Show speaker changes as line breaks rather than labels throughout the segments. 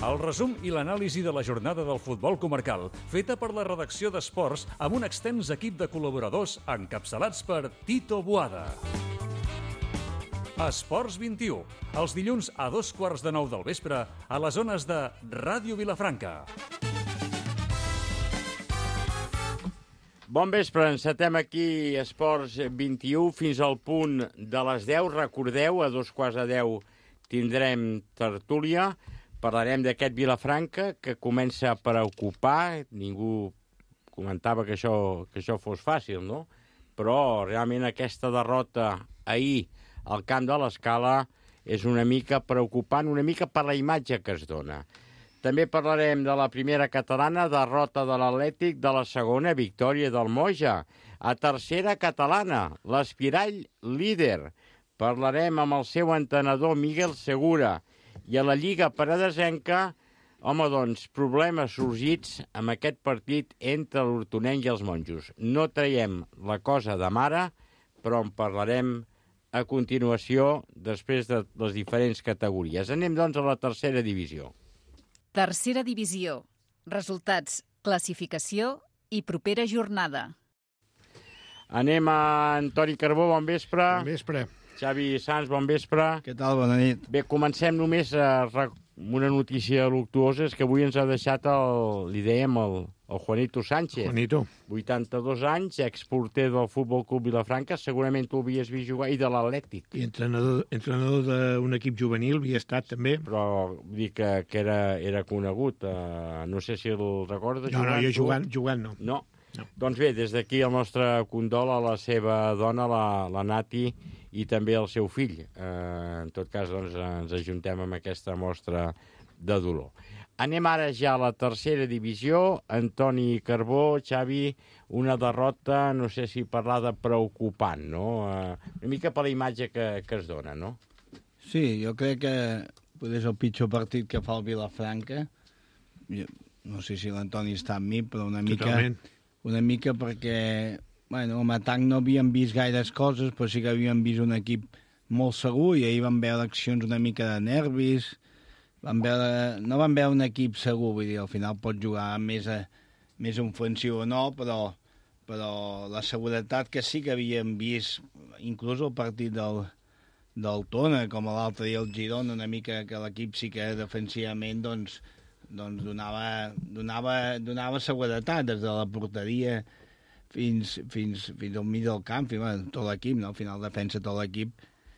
El resum i l'anàlisi de la jornada del futbol comarcal, feta per la redacció d'Esports amb un extens equip de col·laboradors encapçalats per Tito Boada. Esports 21, els dilluns a 8:15 del vespre a les zones de Ràdio Vilafranca.
Bon vespre, encetem aquí Esports 21 fins al punt de les 10. Recordeu, a 9:15 tindrem tertúlia. Parlarem d'aquest Vilafranca que comença a preocupar. Ningú comentava que això fos fàcil, no? Però realment aquesta derrota ahir al camp de l'Escala és una mica preocupant, una mica per la imatge que es dona. També parlarem de la primera catalana, derrota de l'Atlètic, de la segona, victòria del Moja. A tercera catalana, l'Espirall líder. Parlarem amb el seu entrenador Miguel Segura. I a la Lliga Paradesenca, home, doncs, problemes sorgits amb aquest partit entre l'Hortonenc i els monjos. No traiem la cosa de mare, però en parlarem a continuació després de les diferents categories. Anem, doncs, a la tercera divisió.
Tercera divisió. Resultats, classificació i propera jornada.
Anem a Antoni Carbó, bon vespre.
Bon vespre.
Xavi Sans, bon vespre.
Què tal? Bona nit.
Bé, comencem només amb una notícia luctuosa, és que avui ens ha deixat li dèiem, el Juanito Sánchez.
Juanito.
82 anys, exporter del Futbol Club Vilafranca, segurament tu l'havies vist jugar, i de l'Atlètic.
I entrenador d'un equip juvenil, havia estat també.
Però vull dir que era conegut. No sé si el recordes.
No, jo jugant no.
No? Doncs bé, des d'aquí el nostre condol a la seva dona, la Nati, i també el seu fill. En tot cas, doncs, ens ajuntem amb aquesta mostra de dolor. Anem ara ja a la tercera divisió. Antoni Carbó, Xavi, una derrota, no sé si parlar de preocupant, no? Una mica per la imatge que es dona, no?
Sí, jo crec que potser és el pitjor partit que fa el Vilafranca. No sé si l'Antoni està amb mi, però una mica perquè, bueno, amb atac no havíem vist gaires coses, però sí que havíem vist un equip molt segur i ahir vam veure accions una mica de nervis. No vam veure un equip segur, vull dir, al final pot jugar més ofensiu o no, però la seguretat que sí que havíem vist, inclús el partit del Tona, com l'altre dia el Girona, una mica que l'equip sí que defensivament doncs donava seguretat des de la porteria fins al mig del camp, tot l'equip, no? Al final defensa tot l'equip.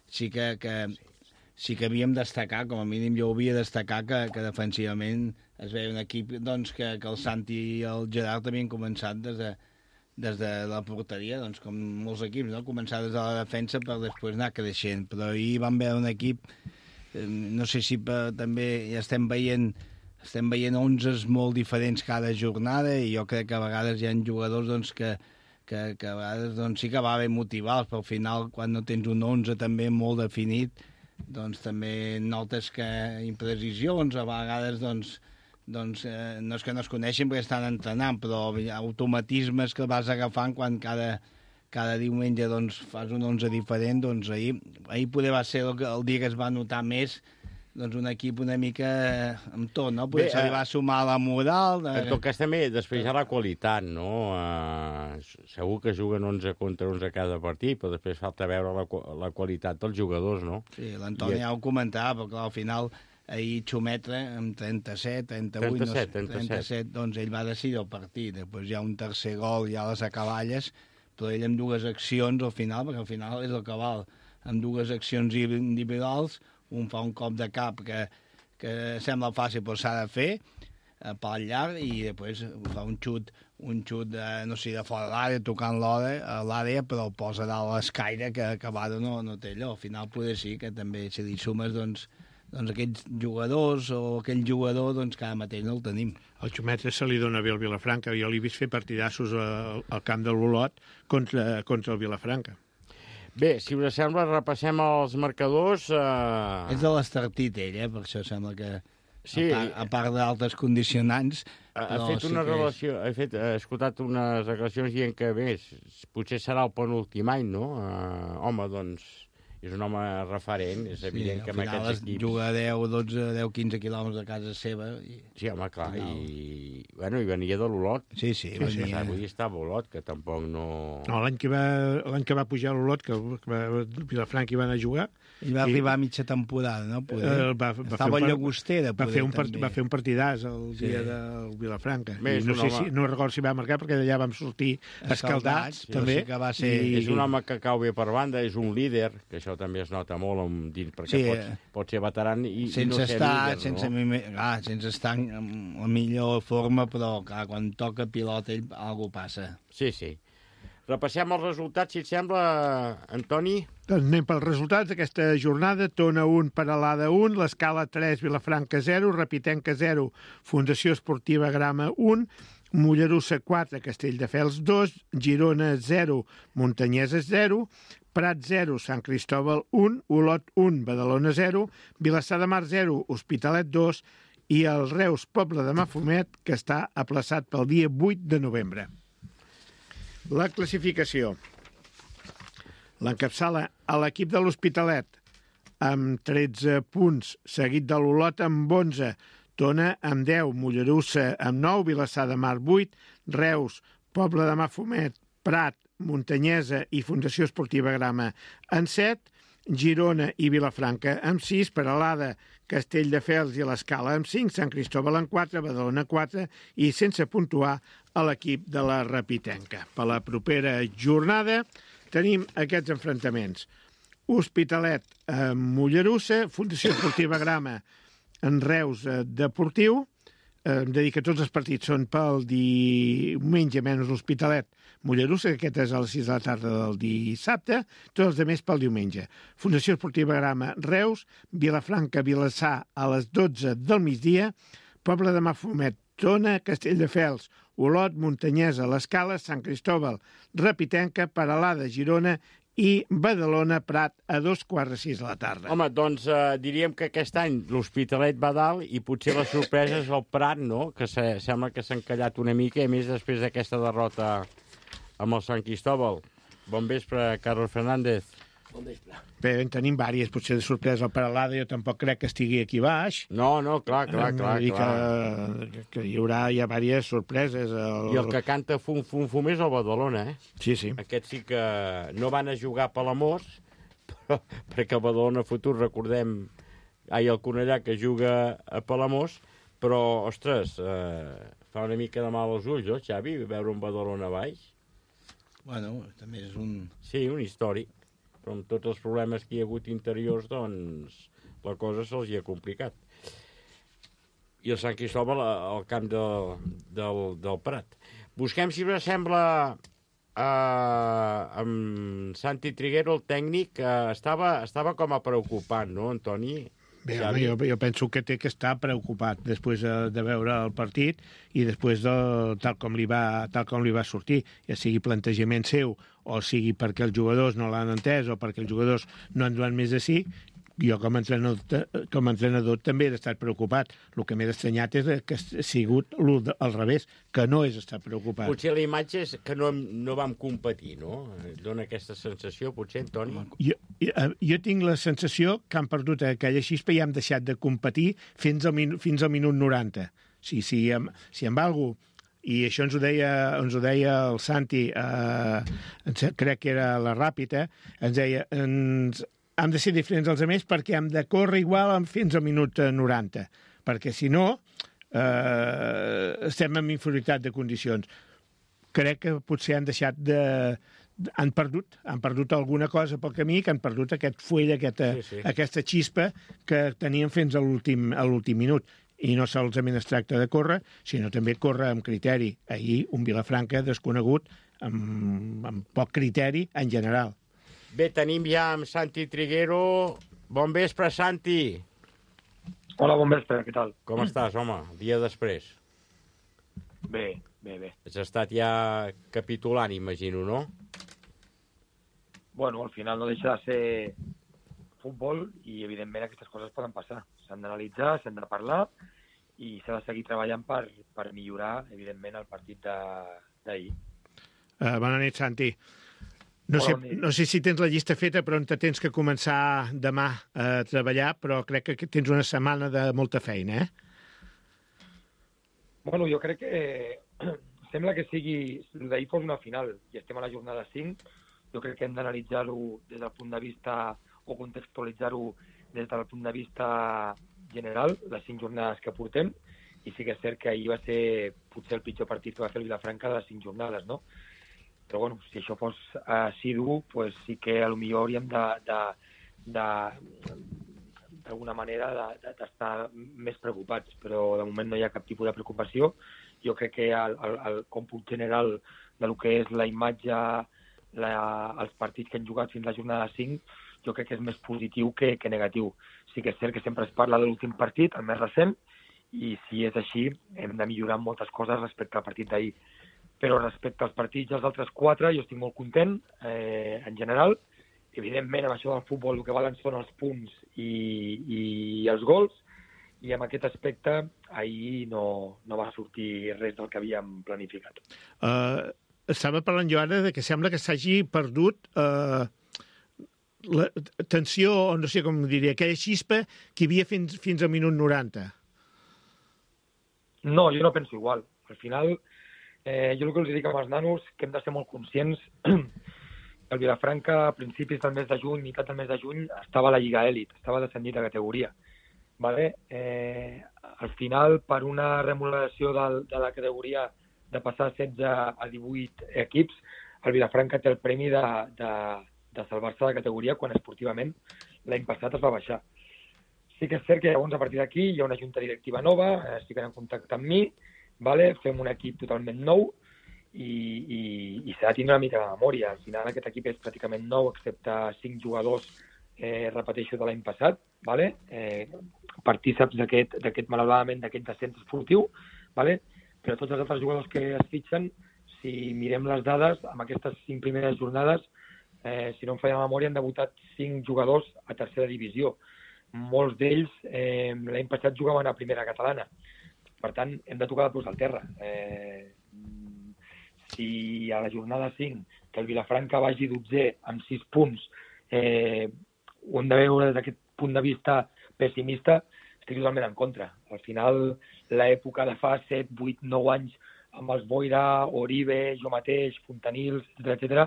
Sí que havíem destacar, com a mínim jo havia destacar que defensivament es veia un equip doncs, que el Santi i el Gerard havien començat des de la porteria, doncs, com molts equips, no? Començar des de la defensa per després anar creixent. Però ahir vam veure un equip, no sé si també ja estem veient 11 molt diferents cada jornada, i jo crec que a vegades hi ha jugadors doncs, que a vegades doncs, sí que va bé motivar-los, però al final quan no tens un 11 també molt definit, doncs també notes que imprecisions, a vegades doncs, no és que no es coneixen perquè estan entrenant, però automatismes que vas agafant quan cada diumenge doncs, fas un 11 diferent. Doncs ahir poder va ser el dia que es va notar més doncs un equip una mica amb tot, no? Potser se li va sumar la moral.
En tot cas també després hi ha la qualitat, no? Segur que juguen 11 contra 11 cada partit, però després falta veure la qualitat dels jugadors, no?
Sí, l'Antoni ja ho comentava, però clar, al final ahir Xumetre amb 37, 37, doncs ell va decidir el partit. Després hi ha un tercer gol ja a les acaballes, però ell amb dues accions al final, perquè al final és el que val, amb dues accions individuals. Un fa un cop de cap que sembla fàcil, però s'ha de fer pel llarg, i després fa un xut no sé, de fora de l'àrea, tocant l'àrea, però el posa dalt l'escaire, que Vado no té allò. Al final poder sí que també, si li sumes doncs aquests jugadors o aquell jugador, doncs que ara mateix no el tenim.
El Xumetre se li dona bé al Vilafranca. Jo l'he vist fer partidassos al camp de l'Olot contra el Vilafranca.
Bé, si us sembla, repassem els marcadors.
És de l'Estartit, ell, per això sembla que,
sí,
a part d'altres condicionants...
Ha escoltat unes declaracions dient que, bé, potser serà el penúltim any, no? Home, doncs, és un home referent, és evident que amb aquests equips...
juga 10, 12, 10, 15 quilòmetres de casa seva.
Sí, home, clar, i venia de l'Olot.
Sí, venia.
Avui estava a Olot, que tampoc no...
No, l'any que va pujar a l'Olot, que Vilafranca hi va anar a jugar...
I va arribar a mitja temporada, no? Estava a Llagostera,
va fer un partidàs el dia del Vilafranca. No recordo si va marcar, perquè d'allà vam sortir escaldats, també.
Sí que va ser...
És un home que cau bé per banda, és un líder, que això també es nota molt, perquè pot ser veteran i no ser líder, no?
Sense estar en la millor forma, però clar, quan toca pilota ell, alguna passa.
Sí. Repassem els resultats, si et sembla, Antoni.
Doncs anem pels resultats d'aquesta jornada. Tona 1, Peralada 1, l'Escala 3, Vilafranca 0, Repitenca 0, Fundació Esportiva Grama 1, Mollerussa 4, Castelldefels 2, Girona 0, Montanyeses 0, Prat 0, Sant Cristòbal 1, Olot 1, Badalona 0, Vilassar de Mar 0, Hospitalet 2 i el Reus Poble de Mafumet, que està aplaçat pel dia 8 de novembre. La classificació. L'encapçala a l'equip de l'Hospitalet amb 13 punts, seguit de l'Olot amb 11, Tona amb 10, Mollerussa amb 9, Vilassar de Mar 8, Reus, Poble de Mafumet, Prat, Muntanyesa i Fundació Esportiva Grama en 7, Girona i Vilafranca amb 6, Peralada, Castelldefels i l'Escala amb 5, Sant Cristòbal amb 4, Badalona 4 i sense puntuar a l'equip de la Repitenca. Per la propera jornada tenim aquests enfrontaments. Hospitalet amb Mollerussa, Fundació Esportiva Grama en Reus Deportiu. Hem de dir que tots els partits són pel diumenge, menys l'Hospitalet Mollerussa, que aquest és a les 6 de la tarda del dissabte, tots els altres pel diumenge. Fundació Esportiva Grama Reus, Vilafranca Vilassar a les 12 del migdia, Poble de Mafumet Tona, Castelldefels, Olot, Muntanyesa, l'Escala, Sant Cristòbal, Repitenca, Peralada, Girona i Badalona, Prat, a 5:15 de la tarda.
Home, doncs diríem que aquest any l'Hospitalet va dalt i potser la sorpresa és el Prat, no?, que sembla que s'ha encallat una mica, i més després d'aquesta derrota amb el Sant Cristòbal. Bon vespre, Carlos Fernández.
Bon vespre.
Bé, en tenim vàries, potser de sorpresa el Peralada, jo tampoc crec que estigui aquí baix.
No, clar.
Que hi haurà ja vàries sorpreses.
I el que canta fum és el Badalona, eh?
Sí.
Aquest sí que no van a jugar a Palamós, però perquè el Badalona Futur, recordem, el Cornellà que juga a Palamós, però, ostres, fa una mica de mal als ulls, no, Xavi, veure un Badalona baix?
Bueno, també és un...
Sí, un històric. Però amb tots els problemes que hi ha hagut interiors, doncs la cosa se'ls hi ha complicat. I el Sant Cristòbal al camp del Prat. Busquem, si us sembla, amb Santi Triguero, el tècnic, estava com a preocupant, no, Antoni?
Bé, home, jo penso que té que estar preocupat després de veure el partit i després tal com li va sortir, ja sigui plantejament seu o sigui perquè els jugadors no l'han entès o perquè els jugadors no han donat més de sí. Jo com a entrenador també he estat preocupat. El que m'he estranyat és que ha sigut al revés, que no és estar preocupat.
Potser la imatge és que no vam competir, no? Dóna aquesta sensació, potser, Antoni?
Jo tinc la sensació que han perdut aquella xispa i hem deixat de competir fins al minut 90. Si amb algú, i això ens ho deia el Santi, crec que era la Ràpita, ens deia... hem de ser diferents dels altres perquè hem de córrer igual fins al minut 90, perquè si no estem en inferioritat de condicions. Crec que potser han deixat han perdut alguna cosa pel camí, que han perdut aquest fuell, aquesta xispa que tenien fins a l'últim minut. I no solament es tracta de córrer, sinó també córrer amb criteri. Ahir un Vilafranca desconegut amb poc criteri en general.
Bé, tenim ja amb Santi Triguero. Bon vespre, Santi.
Hola, bon vespre, què tal?
Com estàs, home, dia després?
Bé.
Has estat ja capitulant, imagino, no?
Bueno, al final no deixa de ser futbol i, evidentment, aquestes coses poden passar. S'han d'analitzar, s'han de parlar i s'ha de seguir treballant per millorar, evidentment, el partit d'ahir.
Bona nit, Santi. No sé si tens la llista feta, però on tens que començar demà a treballar, però crec que tens una setmana de molta feina,
Bueno, jo crec que sembla que sigui... D'ahir fos una final i estem a la jornada 5. Jo crec que hem d'analitzar-ho des del punt de vista o contextualitzar-ho des del punt de vista general, les 5 jornades que portem, i sí que és cert que ahir va ser potser el pitjor partit que va fer el Vilafranca de les 5 jornades, no? Però bueno, si això fos assidu, pues sí que potser hauríem d'alguna manera d'estar més preocupats, però de moment no hi ha cap tipus de preocupació. Jo crec que el còmput general del que és la imatge, els partits que han jugat fins a la jornada 5, jo crec que és més positiu que negatiu. Sí que és cert que sempre es parla de l'últim partit, el més recent, i si és així hem de millorar moltes coses respecte al partit d'ahir. Però respecte als partits dels altres 4 jo estic molt content, en general. Evidentment, amb això del futbol el que valen són els punts i els gols, i en aquest aspecte ahir no va sortir res del que havíem planificat.
Estava parlant jo ara de que sembla que s'hagi perdut la tensió, o no sé com diria, aquella xispa que hi havia fins al minut 90.
No, jo no penso igual. Al final, jo el que els dic amb els nanos que hem de ser molt conscients. El Vilafranca, a principis del mes de juny, meitat del mes de juny, estava a la Lliga Elit, estava descendit de categoria. Vale? Al final, per una remodelació de la categoria de passar 16 a 18 equips, el Vilafranca té el premi de salvar-se de categoria quan esportivament l'any passat es va baixar. Sí que és cert que llavors a partir d'aquí hi ha una junta directiva nova, estic en contacte amb mi, vale? Fem un equip totalment nou, i s'ha de tindre una mica de memòria. Al final aquest equip és pràcticament nou, excepte 5 jugadors, repeteixo, de l'any passat, vale? Partíceps d'aquest malauradament d'aquest descens esportiu, vale? Però tots els altres jugadors que es fitxen, si mirem les dades, amb aquestes 5 primeres jornades, si no em falla la memòria, han debutat 5 jugadors a tercera divisió. Molts d'ells l'any passat jugaven a primera catalana. Per tant, hem de tocar de peus al terra. Si a la jornada 5 que el Vilafranca vagi 12è amb 6 punts, ho hem de veure des d'aquest punt de vista pessimista, estic totalment en contra. Al final, l'època de fa 7, 8, 9 anys amb els Boira, Oribe, jo mateix, Fontanils, etc.,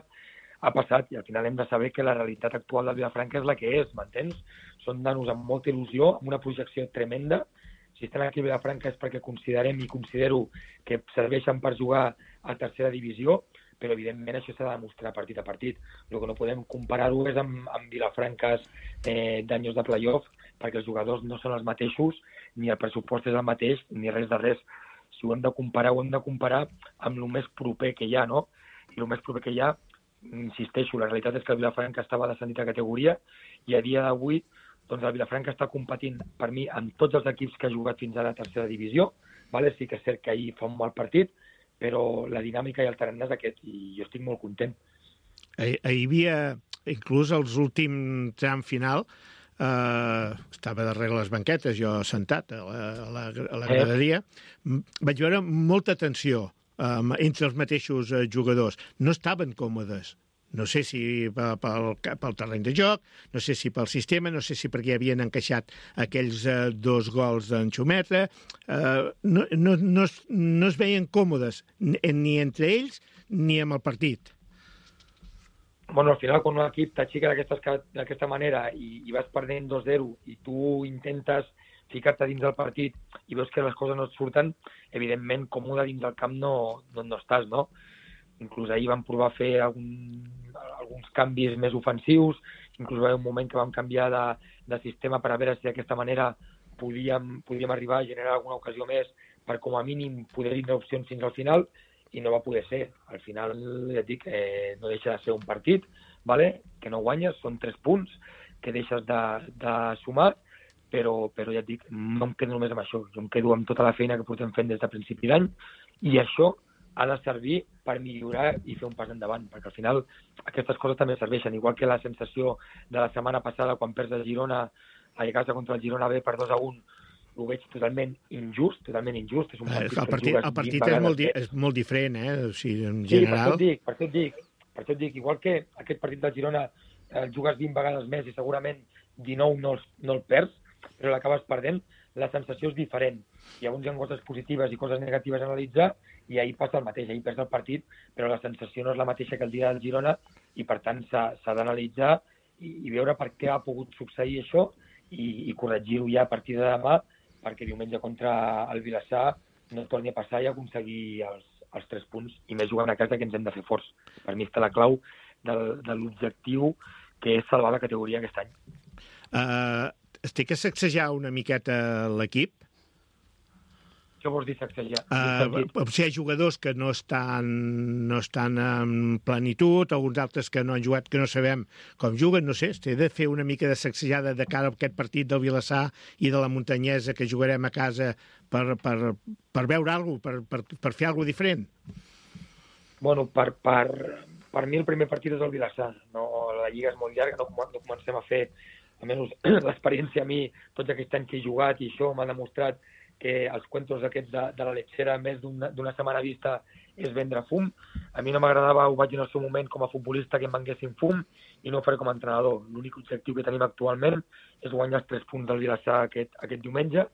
ha passat, i al final hem de saber que la realitat actual del Vilafranca és la que és, m'entens? Són nanos amb molta il·lusió, amb una projecció tremenda. Si estan aquí a Vilafranca és perquè considerem i considero que serveixen per jugar a tercera divisió, però evidentment això s'ha de demostrar partit a partit. El que no podem comparar-ho és amb Vilafrancas d'anys de playoff, perquè els jugadors no són els mateixos, ni el pressupost és el mateix, ni res de res. Si ho hem de comparar amb el més proper que hi ha, no? I el més proper que hi ha, insisteixo, la realitat és que el Vilafranca estava descendit a categoria i a dia d'avui doncs el Vilafranca està competint per mi amb tots els equips que ha jugat fins ara a tercera divisió, vale? Sí que és cert que ahir fa un mal partit, però la dinàmica i el tarannà és aquest i jo estic molt content.
Hi havia, inclús els últims tram final, estava darrere les banquetes, jo sentat a la graderia, vaig veure molta tensió entre els mateixos jugadors. No estaven còmodes. No sé si pel terreny de joc, no sé si pel sistema, no sé si perquè havien encaixat aquells 2 gols d'en Xumetra. No es veien còmodes ni entre ells ni amb el partit.
Bueno, al final, quan un equip t'aixeca d'aquesta manera i vas perdent 2-0 i tu intentes ficar-te dins del partit i veus que les coses no et surten, evidentment, còmode dins del camp no estàs, no? Inclús ahir vam provar a fer alguns canvis més ofensius, inclús va haver un moment que vam canviar de sistema per a veure si d'aquesta manera podíem arribar a generar alguna ocasió més per, com a mínim, poder tindre opcions fins al final, i no va poder ser. Al final, ja et dic, no deixa de ser un partit, vale? Que no guanyes, són 3 punts que deixes de sumar, però ja et dic, no em quedo només amb això, jo em quedo amb tota la feina que portem fent des de principi d'any, i això ha de servir per millorar i fer un pas endavant, perquè al final aquestes coses també serveixen, igual que la sensació de la setmana passada quan perds el Girona a casa contra el Girona B per 2-1, ho veig totalment injust. És un partit
el partit és molt diferent, o sigui, en general.
Sí, per això et dic, Per això et dic, igual que aquest partit del Girona el jugues 20 vegades més i segurament 19 no el perds, però l'acabes perdent, la sensació és diferent. Llavors hi ha coses positives i coses negatives a analitzar i ahir passa el mateix, ahir perds el partit, però la sensació no és la mateixa que el dia del Girona i per tant s'ha d'analitzar i veure per què ha pogut succeir això i corregir-ho ja a partir de demà perquè diumenge contra el Vilassar no torni a passar i aconseguir els 3 punts i més jugant a casa que ens hem de fer forts. Per mi està la clau de l'objectiu que és salvar la categoria aquest any.
Estic a sacsejar una miqueta l'equip.
Què vols dir sacsejar?
Si hi ha jugadors que no estan en plenitud, alguns altres que no han jugat, que no sabem com juguen, no sé, he de fer una mica de sacsejada de cara a aquest partit del Vilassar i de la Muntanyesa que jugarem a casa per veure alguna cosa, per fer alguna cosa diferent.
Bueno, per mi el primer partit és el Vilassar. No, la Lliga és molt llarga, no comencem a fer, almenys l'experiència a mi, tots aquests anys que he jugat i això m'ha demostrat que els cuentos aquests de la lechera més d'una setmana vista és vendre fum. A mi no m'agradava, ho vaig dir en el seu moment com a futbolista, que em venguessin fum i no ho faré com a entrenador. L'únic objectiu que tenim actualment és guanyar els 3 punts del Vilassar aquest diumenge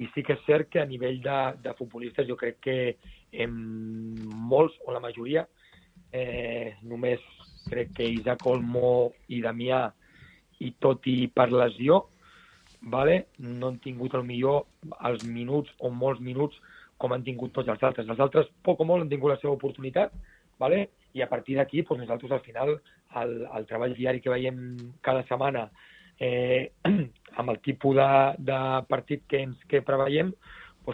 i sí que és cert que a nivell de futbolistes jo crec que molts, o la majoria, només crec que Isaac Olmo i Damià, i tot i per lesió, no han tingut millor els minuts o molts minuts com han tingut tots els altres. Els altres, poc o molt, han tingut la seva oportunitat, i a partir d'aquí nosaltres al final el treball diari que veiem cada setmana amb el tipus de partit que preveiem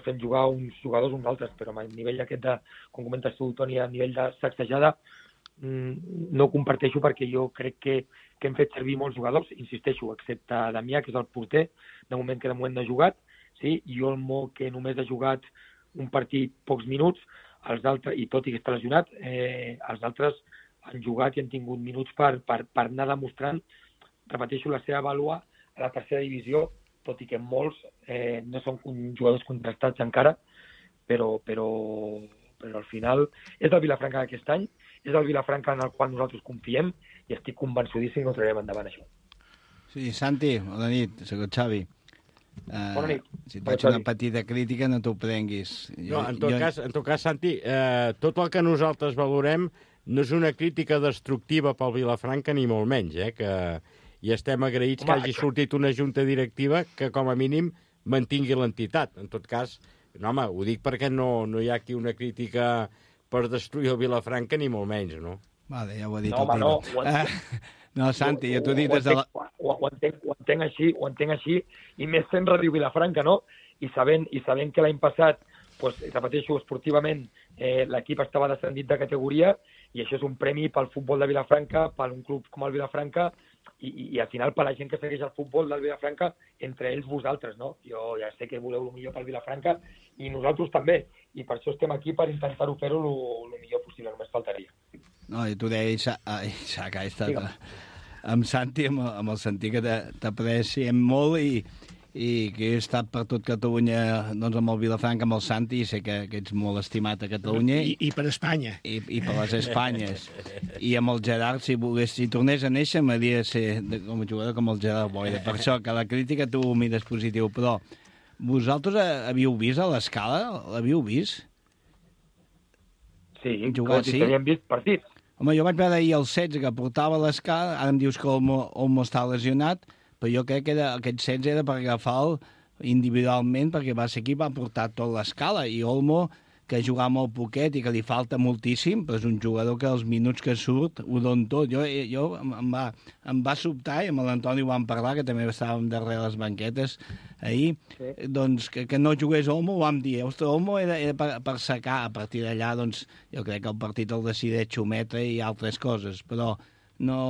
fem jugar uns jugadors uns altres, però a nivell aquest de, com comentes tu, Toni, a nivell de sacsejada no ho comparteixo perquè jo crec que hem fet servir molts jugadors, insisteixo, excepte Damià, que és el porter, de moment que de moment no ha jugat, sí? I Olmo, que només ha jugat un partit pocs minuts, els altres, i tot i que està lesionat, els altres han jugat i han tingut minuts per anar demostrant, repeteixo, la seva vàlua a la tercera divisió, tot i que molts no són jugadors contrastats encara, però al final és el Vilafranca d'aquest any, és el Vilafranca en el qual nosaltres confiem i estic convençudíssim que ho traurem endavant, això.
Sí, Santi, bona nit, soc el Xavi.
Bona nit.
Si et faig una petita crítica, no t'ho prenguis.
En tot cas, Santi, tot el que nosaltres valorem no és una crítica destructiva pel Vilafranca, ni molt menys, i estem agraïts que hagi sortit una junta directiva que, com a mínim, mantingui l'entitat. En tot cas, ho dic perquè no hi ha aquí una crítica per destruir el Vilafranca, ni molt menys, no?
Vale, ja ho ha dit
el Tino.
No, Santi, ja t'ho he dit des de la...
Ho entenc així, i més fent Ràdio Vilafranca, no? I sabent que l'any passat, repeteixo, esportivament, l'equip estava descendit de categoria, i això és un premi pel futbol de Vilafranca, per un club com el Vilafranca, i al final per la gent que segueix el futbol del Vilafranca, entre ells vosaltres, no? Jo ja sé que voleu el millor pel Vilafranca, i nosaltres també, i per això estem aquí per intentar-ho fer-ho el millor possible, només faltaria.
No, i t'ho deia Isaac, amb Santi, amb el sentit que t'apreciem molt i que he estat per tot Catalunya amb el Vilafranca, amb el Santi, i sé que ets molt estimat a Catalunya.
I per Espanya.
I per les Espanyes. I amb el Gerard, si tornés a néixer, m'hauria de ser com a jugador com el Gerard Boira. Per això que la crítica tu ho mires positiu, però vosaltres havíeu vist a l'Escala? L'havíeu vist?
Sí, tot i que havíem vist partits.
Home, jo vaig veure ahir el 16 que portava l'Escala, ara em dius que Olmo està lesionat, però jo crec que aquest 16 era per agafar-lo individualment, perquè va ser qui va portar tot l'Escala, i Olmo, que juga molt poquet i que li falta moltíssim, però és un jugador que els minuts que surt ho don tot. Jo em va sobtar, i amb l'Antoni ho vam parlar, que també estàvem darrere les banquetes ahir, sí. Doncs que no jugués Olmo, ho vam dir. Ostres, Olmo era per secar. A partir d'allà, doncs, jo crec que el partit el decideix Xumetra i altres coses, però no...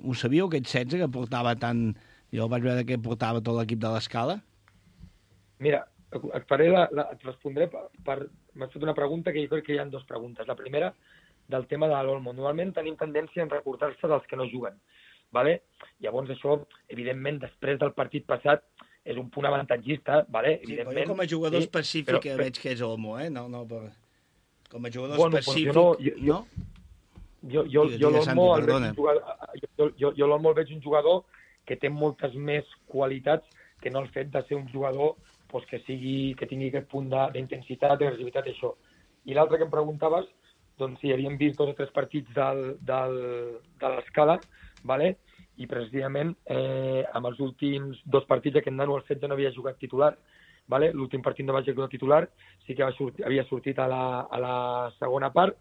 Ho sabíeu, aquest 16 que portava tant... Jo vaig veure que portava tot l'equip de l'Escala?
Mira, et respondré m'has fet una pregunta que jo crec que hi ha 2 preguntes. La primera, del tema de l'Olmo. Normalment tenim tendència a recordar-se dels que no juguen. ¿vale? Llavors això, evidentment, després del partit passat, és un punt avantatgista, ¿vale? Evidentment.
Sí, com a jugador específic però, veig que és Olmo, eh? No, com a jugador específic, no?
l'Olmo el veig un jugador que té moltes més qualitats que no el fet de ser un jugador que tingui aquest punt d'intensitat, d'agressivitat, això. I l'altre que em preguntaves, doncs si havíem vist 2 o 3 partits de l'Escala, vale? I precisament amb els últims 2 partits aquest nano al 16 no havia jugat titular, vale? L'últim partit no va jugar titular, sí que havia sortit a la segona part,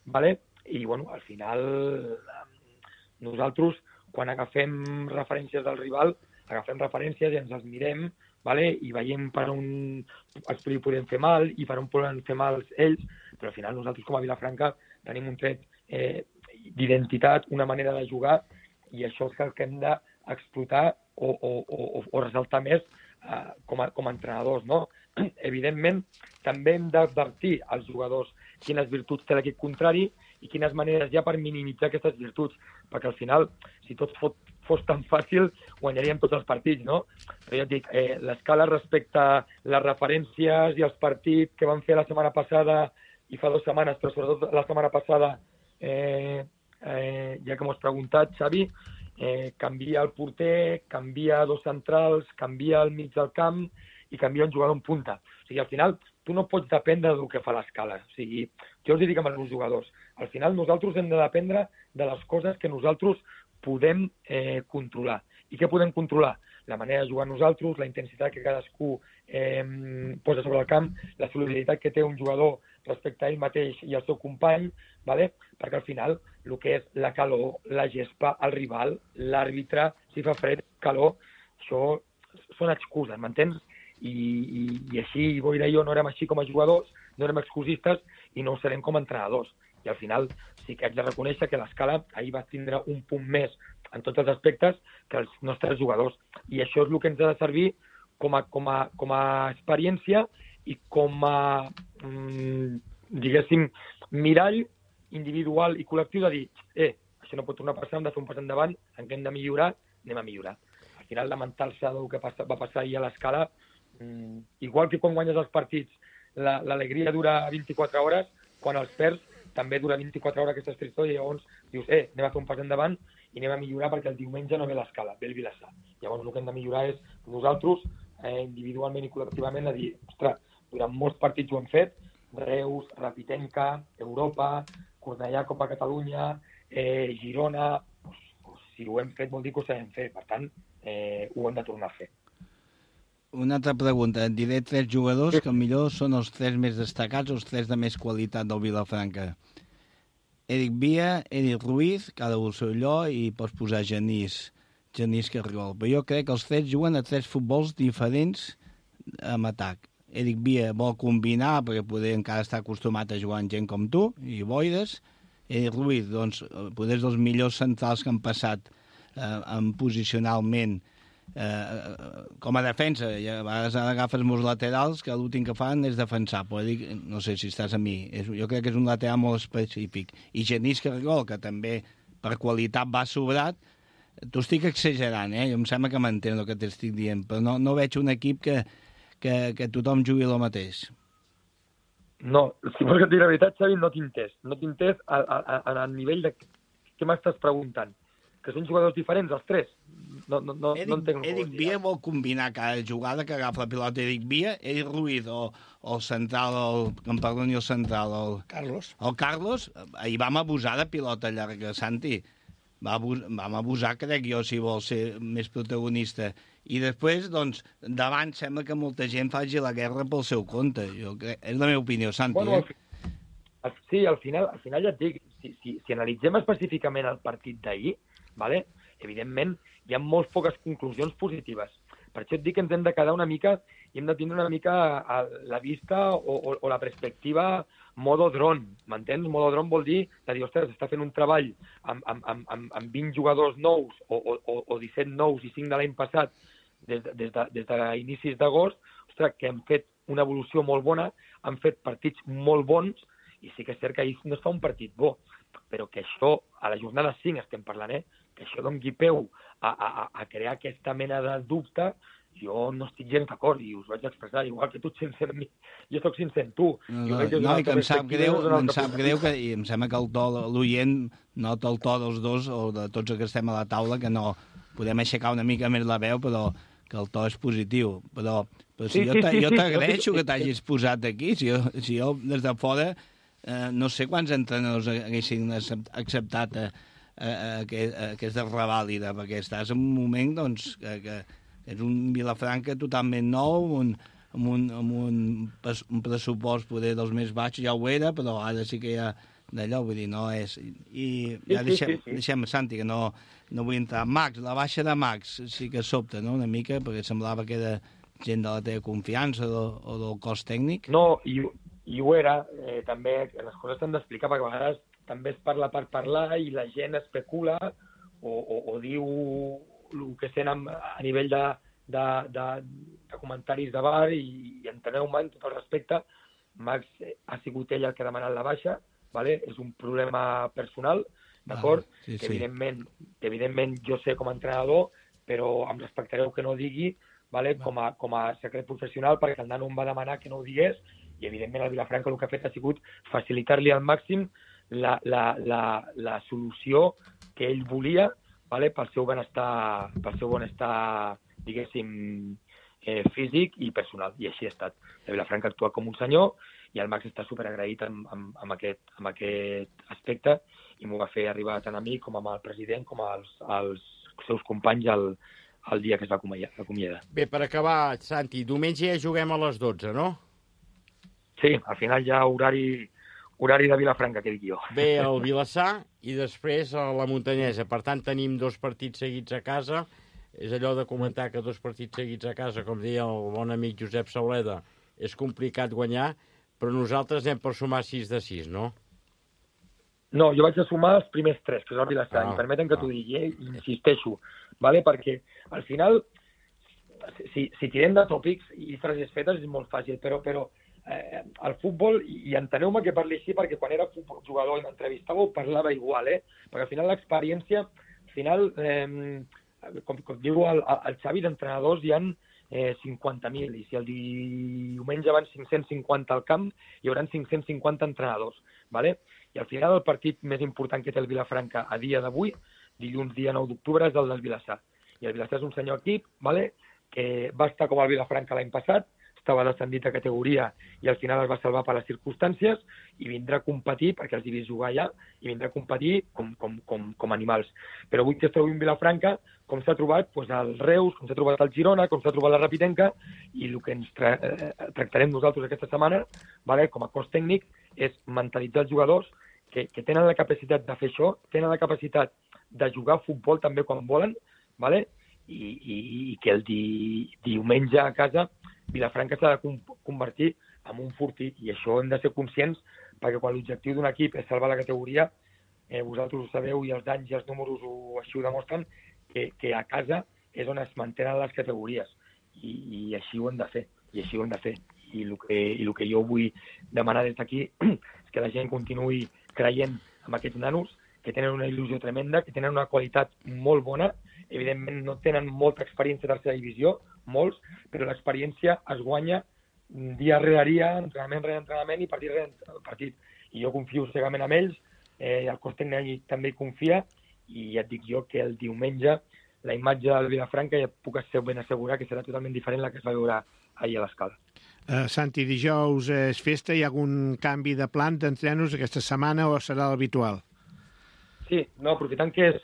vale? I bueno, al final nosaltres quan agafem referències del rival, agafem referències i ens les mirem, vale? I veiem per on els podem fer mal i per on poden fer mal ells, però al final nosaltres com a Vilafranca tenim un tret d'identitat, una manera de jugar, i això és el que hem d'explotar o ressaltar més com a entrenadors, no? Evidentment, també hem d'advertir als jugadors quines virtuts té l'equip contrari i quines maneres hi ha per minimitzar aquestes virtuts, perquè al final, si tot fos tan fàcil, guanyaríem tots els partits, no? Però ja et dic, l'Escala respecte a les referències i els partits que van fer la setmana passada i fa 2 setmanes, però sobretot la setmana passada, ja que m'ho has preguntat, Xavi, canvia el porter, canvia 2 centrals, canvia el mig del camp i canvia un jugador en punta. O sigui, al final, tu no pots dependre del que fa l'Escala. O sigui, jo els dic amb els meus jugadors, al final nosaltres hem de dependre de les coses que nosaltres podem controlar. I què podem controlar? La manera de jugar nosaltres, la intensitat que cadascú posa sobre el camp, la solidaritat que té un jugador respecte a ell mateix i al seu company, ¿vale? Perquè al final el que és la calor, la gespa, el rival, l'àrbitre, si fa fred, calor, això són excuses, m'entens? I així, Boira i jo no érem així com a jugadors, no érem excusistes i no ho serem com a entrenadors. I al final sí que haig de reconèixer que l'Escala ahir va tindre un punt més en tots els aspectes que els nostres jugadors. I això és el que ens ha de servir com a experiència i com a, diguéssim, mirall individual i col·lectiu de dir, això no pot tornar a passar, hem de fer un pas endavant, en què hem de millorar, anem a millorar. Al final, lamentar-se del que va passar ahir a l'Escala, igual que quan guanyes els partits l'alegria dura 24 hores, quan els perds també dura 24 hores aquesta tristor i llavors dius, anem a fer un pas endavant i anem a millorar perquè el diumenge no ve l'Escala, ve el Vilassar. Llavors el que hem de millorar és nosaltres, individualment i col·lectivament, a dir, ostres, durant molts partits ho hem fet, Reus, Rapitenca, Europa, Cornellà, Copa Catalunya, Girona, si ho hem fet vol dir que ho sabem fer, per tant, ho hem de tornar a fer.
Una altra pregunta. Et diré 3 jugadors que millor són els 3 més destacats o els 3 de més qualitat del Vilafranca. Eric Villa, Eric Ruiz, cada un seu allò, i pots posar Genís Cargol. Però jo crec que els 3 juguen a 3 futbols diferents amb atac. Eric Villa vol combinar perquè poder encara estar acostumat a jugar amb gent com tu i boires. Eric Ruiz, doncs, poder és dels millors centrals que han passat posicionalment com a defensa. I a vegades agafes molts laterals que l'últim que fan és defensar, però dic, no sé si estàs a mi, jo crec que és un lateral molt específic. I Genís Cargol, que també per qualitat va sobrat, t'ho estic exagerant, jo em sembla que m'entén el que t'estic dient, però no veig un equip que tothom jugui el mateix.
No, si vols que et digui la veritat, Xavi, no t'he entès al nivell de què m'estàs preguntant. Que són jugadors diferents, els 3? No entenc.
Eric Villa vol combinar cada jugada que agafa la pilota. Eric Villa, Eric Ruiz o el central, el Carlos. El Carlos, ahir vam abusar de pilota llarga, Santi. Vam abusar, crec jo, si vol ser més protagonista. I després, doncs, davant sembla que molta gent faci la guerra pel seu compte. És la meva opinió, Santi.
Bueno, sí, al final ja et dic, si analitzem específicament el partit d'ahir, vale? Evidentment, hi ha molt poques conclusions positives. Per això et dic que ens hem de quedar una mica i hem de tindre una mica la vista o la perspectiva modo dron, m'entens? Modo dron vol dir de dir, ostres, està fent un treball amb 20 jugadors nous o 17 nous i 5 de l'any passat des d'inicis d'agost, ostres, que han fet una evolució molt bona, han fet partits molt bons i sí que és cert que ahir no es fa un partit bo, però que això, a la jornada 5 estem parlant, que això doni peu a crear aquesta mena de dubte, jo no estic gens d'acord i us vaig expressar, igual que tu ets sincer amb mi, jo soc sincer amb tu.
No, i que em sap greu que, i em sembla que el to, l'oient nota el to dels dos o de tots els que estem a la taula, que no podem aixecar una mica més la veu, però que el to és positiu. Però si jo t'agraeixo que t'hagis posat aquí, si jo des de fora no sé quants entrenadors haguessin acceptat aquesta revàlida, perquè estàs en un moment doncs, que és un Vilafranca totalment nou, amb un pressupost poder dels més baixos, ja ho era, però ara sí que hi ha d'allò, vull dir, no és... I ja deixem, Santi, que no vull entrar. Max, la baixa de Max sí que sobta, no?, una mica, perquè semblava que era gent de la teva confiança o del cos tècnic.
No, i ho era, també les coses s'han d'explicar, perquè a vegades també es parla per parlar i la gent especula o diu el que sent a nivell de comentaris de bar i enteneu-me, en tot el respecte, Max ha sigut ell el que ha demanat la baixa, vale? És un problema personal, d'acord?
Sí.
Que evidentment jo sé com a entrenador, però em respectareu que no ho digui, vale? Com a secret professional, perquè el nano em va demanar que no ho digués, i evidentment el Vilafranca el que ha fet ha sigut facilitar-li al màxim la solució que ell volia, vale? pel seu benestar, diguéssim, físic i personal, i així ha estat. El Vilafranca actua com un senyor i el Max està superagraït amb aquest aspecte i m'ho va fer arribar tant a mi com amb el president com als seus companys el dia que es va acomiadar.
Bé, per acabar, Santi, diumenge ja juguem a les 12, no?
Sí, al final ja horari de Vilafranca, que dic jo.
Bé, el Vilassar i després a la Muntanyesa. Per tant, tenim 2 partits seguits a casa. És allò de comentar que 2 partits seguits a casa, com deia el bon amic Josep Sauleda, és complicat guanyar, però nosaltres anem per sumar 6 de 6, no?
No, jo vaig a sumar els primers 3, que és el Vilassar, i permeten que t'ho digui, insisteixo, vale? Perquè al final, si tirem de tòpics i frases fetes és molt fàcil, però el futbol, i enteneu-me que parli així, perquè quan era jugador i m'entrevistava ho parlava igual, perquè al final l'experiència, com diu el Xavi, d'entrenadors hi ha 50.000, i si el diumenge van 550 al camp, hi haurà 550 entrenadors, vale? I al final el partit més important que té el Vilafranca a dia d'avui, dilluns dia 9 d'octubre, és el del Vilassar. I el Vilassar és un senyor equip, vale? Que va estar com el Vilafranca l'any passat, estava descendit a categoria i al final es va salvar per les circumstàncies i vindrà a competir, perquè els he vist jugar allà, i vindrà a competir com animals. Però avui que esteu en Vilafranca, com s'ha trobat el Reus, com s'ha trobat el Girona, com s'ha trobat la Rapidenca, i el que ens tractarem nosaltres aquesta setmana, vale, com a cos tècnic, és mentalitzar els jugadors que tenen la capacitat de fer això, tenen la capacitat de jugar a futbol també quan volen, vale? I que el diumenge a casa Vilafranca s'ha de convertir en un fortí, i això hem de ser conscients, perquè quan l'objectiu d'un equip és salvar la categoria, vosaltres ho sabeu i els anys i els números així ho demostren, que a casa és on es mantenen les categories, i així ho hem de fer, i el que jo vull demanar des d'aquí és que la gent continuï creient en aquests nanos, que tenen una il·lusió tremenda, que tenen una qualitat molt bona. Evidentment no tenen molta experiència a tercera divisió, molts, però l'experiència es guanya dia rere dia, entrenament rere entrenament i partit rere partit. I jo confio cegament en ells, el cos tècnic també hi confia, i ja et dic jo que el diumenge la imatge del Vilafranca ja puc ben assegurar que serà totalment diferent la que es va veure ahir a l'Escala.
Santi, dijous és festa, hi ha algun canvi de plan d'entrenos aquesta setmana o serà l'habitual?
Sí, no, aprofitant que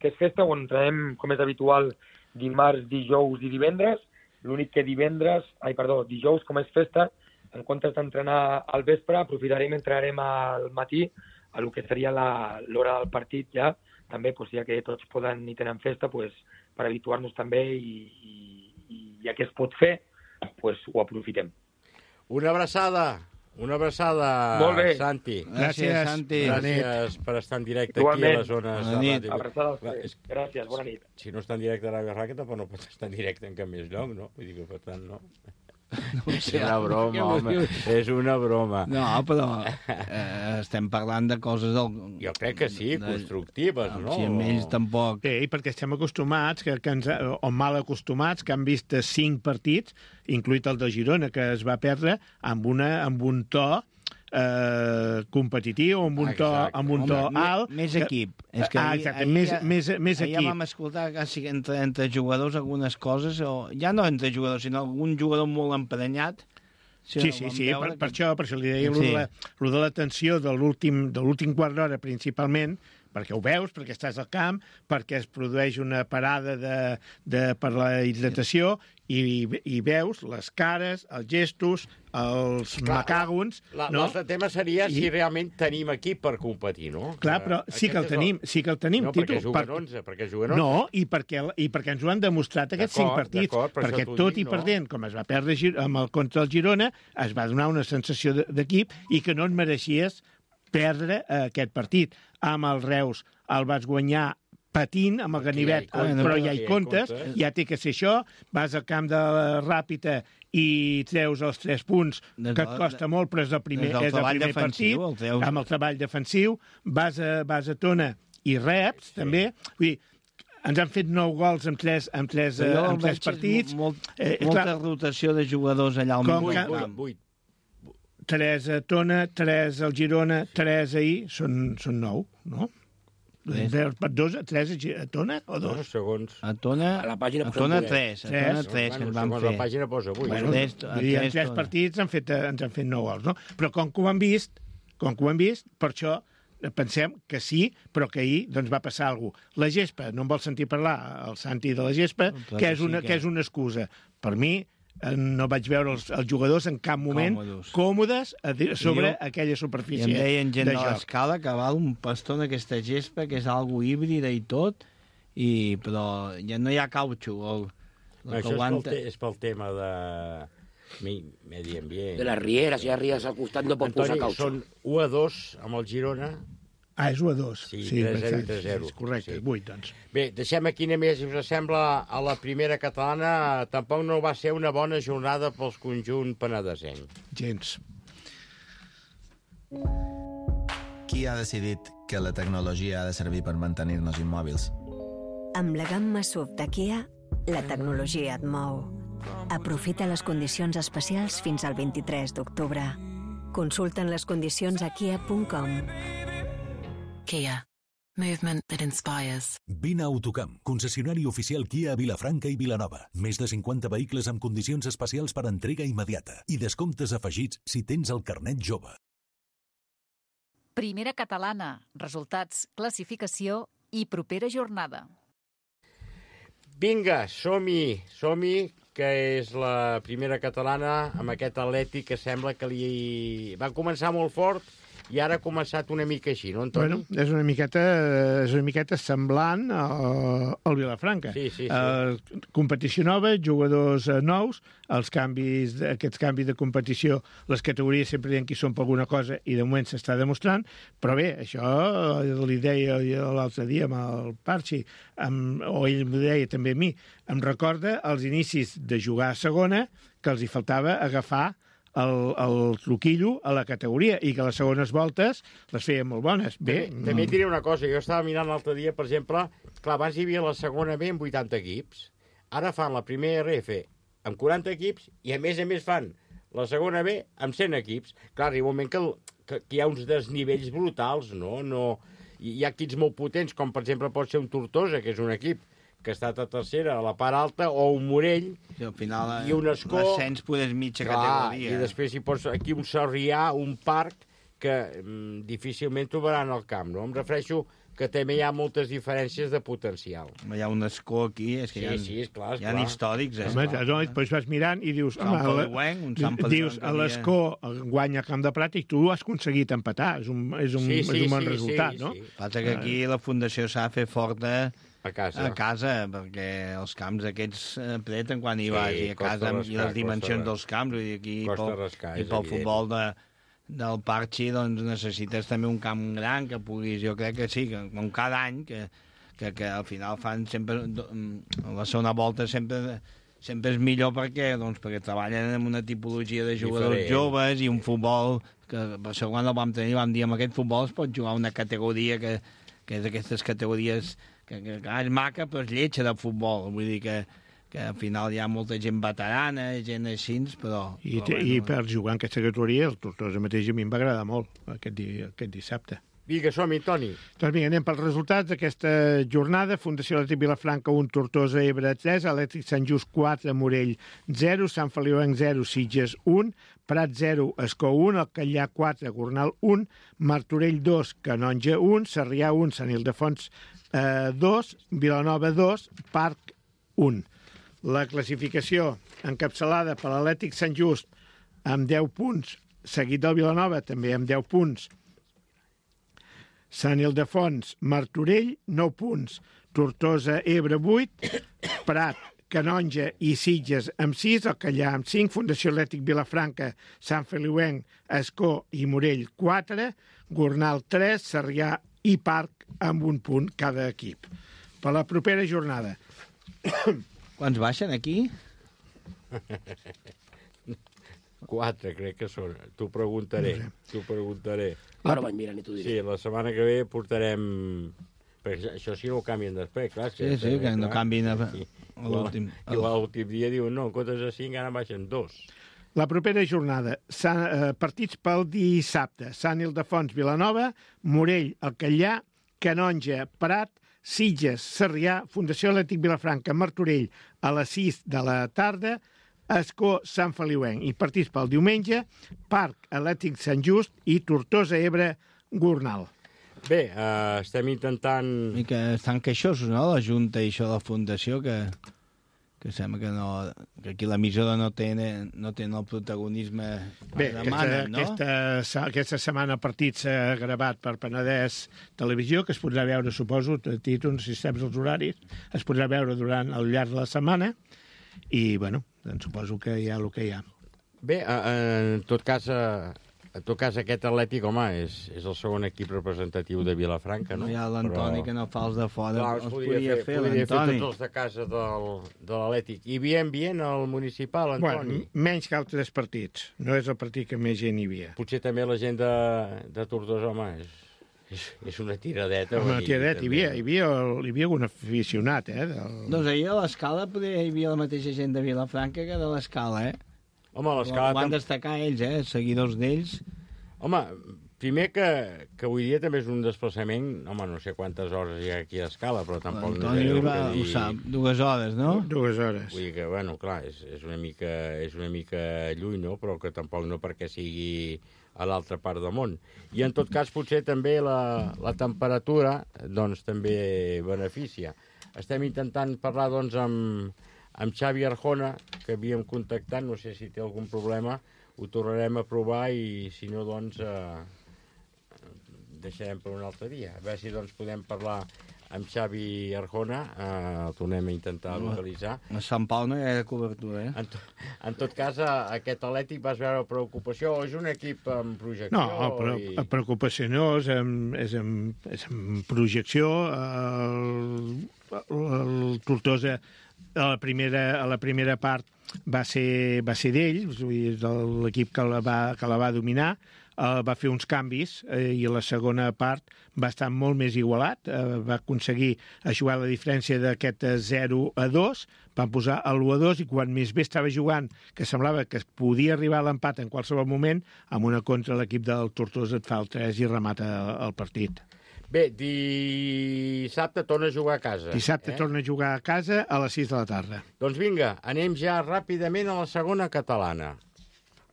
és festa, on entrenem, com és habitual, dimarts, dijous i divendres. L'únic que dijous, com és festa, en comptes d'entrenar al vespre, aprofitarem i entrenarem al matí, a lo que seria l'hora del partit ja, també, ja que tots poden i tenen festa, per habituar-nos també, i ja que es pot fer, ho aprofitem.
Una abraçada, Santi.
Gràcies, Santi.
Gràcies per estar en directe aquí a les zones de ràdio.
Abraçada als tres. Gràcies, bona nit.
Si no està en directe a Ràdio Ràqueta, tampoc no pot estar en directe en cap més lloc, no? Vull dir que, per tant, no. És una broma, home, és una broma.
No, però estem parlant de coses del...
Jo crec que sí, constructives, no?
Si amb ells tampoc...
Sí, perquè estem acostumats, o mal acostumats, que han vist 5 partits, incluït el de Girona, que es va perdre amb un to competitiu, amb un to alt.
Més equip. És que
exacte, més equip.
Ja vam escoltar quasi entre jugadors algunes coses, o ja no entre jugadors, sinó algun jugador molt emprenyat.
Sí, per això li deia lo de la tensió de l'últim quart d'hora principalment, perquè ho veus, perquè estàs al camp, perquè es produeix una parada per la hidratació i veus les cares, els gestos, els macàgons...
L'altre tema seria si realment tenim equip per competir, no?
Clar, però sí que el tenim.
No, perquè juguen 11, perquè juguen 11.
No, i perquè ens ho han demostrat aquests 5 partits, perquè tot i perdent, com es va perdre contra el Girona, es va donar una sensació d'equip i que no et mereixies perdre aquest partit. Amb el Reus el vas guanyar patint amb el ganivet, però ja hi comptes, ja té que ser això, vas al camp de la Ràpita i treus els 3 punts, que et costa molt, però és el primer partit, amb el treball defensiu, vas a Tona i reps, també, vull dir, ens han fet 9 gols en 3 partits.
Molta rotació de jugadors allà al mig.
3 a Tona, 3 al Girona, 3 ahir, són 9, no? 3 a Tona o 2?
Segons.
A Tona 3. A Tona 3 que ens van fer.
La pàgina posa 8.
En 3 partits ens han fet 9 gols, no? Però com que ho han vist, per això pensem que sí, però que ahir doncs, va passar alguna cosa. La gespa, no em vol sentir parlar, el Santi de la gespa, que és una excusa. Per mi, no vaig veure els jugadors en cap moment còmodes sobre aquella superfície de joc.
I em deien gent de l'escala que val un pastó en aquesta gespa, que és algo híbrida i tot, però ja no hi ha cautxo.
Això és pel tema de medi ambient.
De las rieras, ya rieras al costat no pot posar caucho.
Són 1-2 amb el Girona.
És 1-2.
Sí, 3-0 i 3-0.
És correcte, 8, doncs.
Bé, deixem aquí només, si us sembla, a la primera catalana. Tampoc no va ser una bona jornada pels conjunt penedesenc.
Gens.
Qui ha decidit que la tecnologia ha de servir per mantenir-nos immòbils?
Amb la gamma SUV de Kia, la tecnologia et mou. Aprofita les condicions especials fins al 23 d'octubre. Consulten les condicions a kia.com.
Kia. Movement that inspires.
Vine a Autocamp, concessionari oficial Kia a Vilafranca i Vilanova. Més de 50 vehicles amb condicions especials per entrega immediata i descomptes afegits si tens el carnet jove.
Primera catalana. Resultats, classificació i propera jornada.
Vinga, som-hi, que és la primera catalana amb aquest Atlètic que sembla que li va començar molt fort i ara ha començat una mica així, no, Antoni?
Bueno, és una miqueta semblant al Vilafranca.
Sí.
Competició nova, jugadors nous, aquests canvis de competició, les categories sempre diuen que hi són per alguna cosa i de moment s'està demostrant, però bé, això li deia l'altre dia amb el Parchi, o ell m'ho deia també a mi, em recorda els inicis de jugar a segona, que els hi faltava agafar el truquillo a la categoria i que les segones voltes les feien molt bones.
També et diré una cosa, jo estava mirant l'altre dia, per exemple, clar, abans hi havia la segona B amb 80 equips, ara fan la primera RF amb 40 equips i a més fan la segona B amb 100 equips. Clar, arriba un moment que hi ha uns desnivells brutals, no? Hi ha equips molt potents, com per exemple pot ser un Tortosa, que és un equip que ha estat a tercera, a la part alta, o un Morell,
al final,
i un Escó...
L'ascens podes mitja categoria.
I després hi pots aquí un Sarrià, un Parc, que difícilment trobaran al camp, no? Em refereixo que també hi ha moltes diferències de potencial.
Hi ha un Escó aquí, és que
és clar.
Hi ha històrics.
Després vas mirant i dius... Dius, l'Escó guanya a Camp de Prat i tu has aconseguit empatar. És un bon resultat, no?
Passa que aquí la Fundació s'ha de fer forta
a casa,
perquè els camps aquests apreten quan hi vas, i a casa, i les dimensions dels camps, i pel futbol del Parchi, doncs necessites també un camp gran que puguis, jo crec que sí, que com cada any, que al final fan sempre, la segona volta sempre sempre és millor perquè treballen en una tipologia de jugadors joves i un futbol que per segon el vam tenir, vam dir, amb aquest futbol es pot jugar una categoria que és d'aquestes categories que és maca però és lletja de futbol, vull dir que al final hi ha molta gent veterana, gent així, però...
I per jugar en aquesta categoria, el Tortosa mateix a mi em va agradar molt aquest dissabte.
Vinga, som-hi, Toni.
Doncs vinga, anem pels resultats d'aquesta jornada. Fundació Atlètic Vilafranca 1, Tortosa Ebre 3, Atlètic Sant Just 4, Morell 0, Sant Feliuenc 0, Sitges 1, Prat 0, Escó 1, Alcallà 4, Gornal 1, Martorell 2, Canonja 1, Sarrià 1, Sant Ildefons 2, Vilanova 2, Parc 1. La classificació encapçalada per l'Atlètic Sant Just amb 10 punts, seguit del Vilanova també amb 10 punts, Sant Ildefons, Martorell, 9 punts, Tortosa, Ebre, 8, Prat, Canonja i Sitges amb 6, Alcallà amb 5, Fundació Atlètic Vilafranca, Sant Feliuenc, Escó i Morell, 4, Gornal, 3, Sarrià i Parc amb 1 punt cada equip. Per la propera jornada...
Quants baixen aquí?
4, crec que són. T'ho preguntaré.
Ara vaig mirant i t'ho diré.
Sí, la setmana que ve portarem... Perquè això sí no ho canvien després, clar.
Sí, que no canvien a l'últim.
I l'últim dia diuen, no, en comptes de 5 ara baixen 2.
La propera jornada, partits pel dissabte. Sant Ildefons, Vilanova, Morell, Alcallà, Canonja, Prat, Sitges, Sarrià, Fundació Atlètic Vilafranca, Martorell, a les 6 de la tarda, Escó, Sant Feliuenc. I partits pel diumenge, Parc, Atlètic Sant Just i Tortosa, Ebre, Gornal.
Bé, estem intentant...
I que estan queixosos, no?, la Junta i això de la Fundació, que sembla que no... que aquí l'emissora no té el protagonisme que demanen, no?
Aquesta setmana el partit s'ha gravat per Penedès Televisió, que es podrà veure, suposo, títols, si saps els horaris, es podrà veure al llarg de la setmana, i, bueno, doncs suposo que hi ha el que hi ha.
Bé, en tot cas, aquest Atlètic, home, és el segon equip representatiu de Vilafranca, no?
Hi ha l'Antoni, que no fa els de fora.
Clar, els podria fer l'Antoni. Tots els de casa de l'Atlètic. I bien al municipal, Antoni.
Bueno, menys que altres partits. No és el partit que més gent hi havia.
Potser també la gent de Tortosa, home, és una tiradeta.
Una tiradeta. Hi havia algun aficionat,
Doncs ahir a l'Escala hi havia la mateixa gent de Vilafranca que de l'Escala,
Home, l'Escala...
Van destacar ells, seguidors d'ells.
Home, primer que avui dia també és un desplaçament, home, no sé quantes hores hi ha aquí a l'Escala, però tampoc no sé
ho sap, 2 hores, no?
2 hores.
Vull dir que, bueno, clar, és una mica lluny, no? Però que tampoc no perquè sigui a l'altra part del món. I en tot cas, potser també la temperatura, doncs, també beneficia. Estem intentant parlar, doncs, amb Xavi Arjona, que havíem contactat, no sé si té algun problema, ho tornarem a provar i, si no, doncs, deixarem per un altre dia. A veure si, doncs, podem parlar amb Xavi Arjona, el tornem a intentar localitzar.
A Sant Pau no hi ha cobertura,
En tot cas, aquest Atlètic vas veure preocupació, o és un equip amb projecció?
No, però preocupació no, és amb projecció. El Tortosa a la primera part va ser d'ells, l'equip que la va dominar, va fer uns canvis i a la segona part va estar molt més igualat, va aconseguir jugar la diferència d'aquest 0-2, van posar l'1-2 i quan més bé estava jugant, que semblava que es podia arribar a l'empat en qualsevol moment, amb una contra l'equip del Tortosa et fa el 3 i remata el partit.
Bé, dissabte torna a jugar a casa.
Dissabte torna a jugar a casa a les 6 de la tarda.
Doncs vinga, anem ja ràpidament a la segona catalana.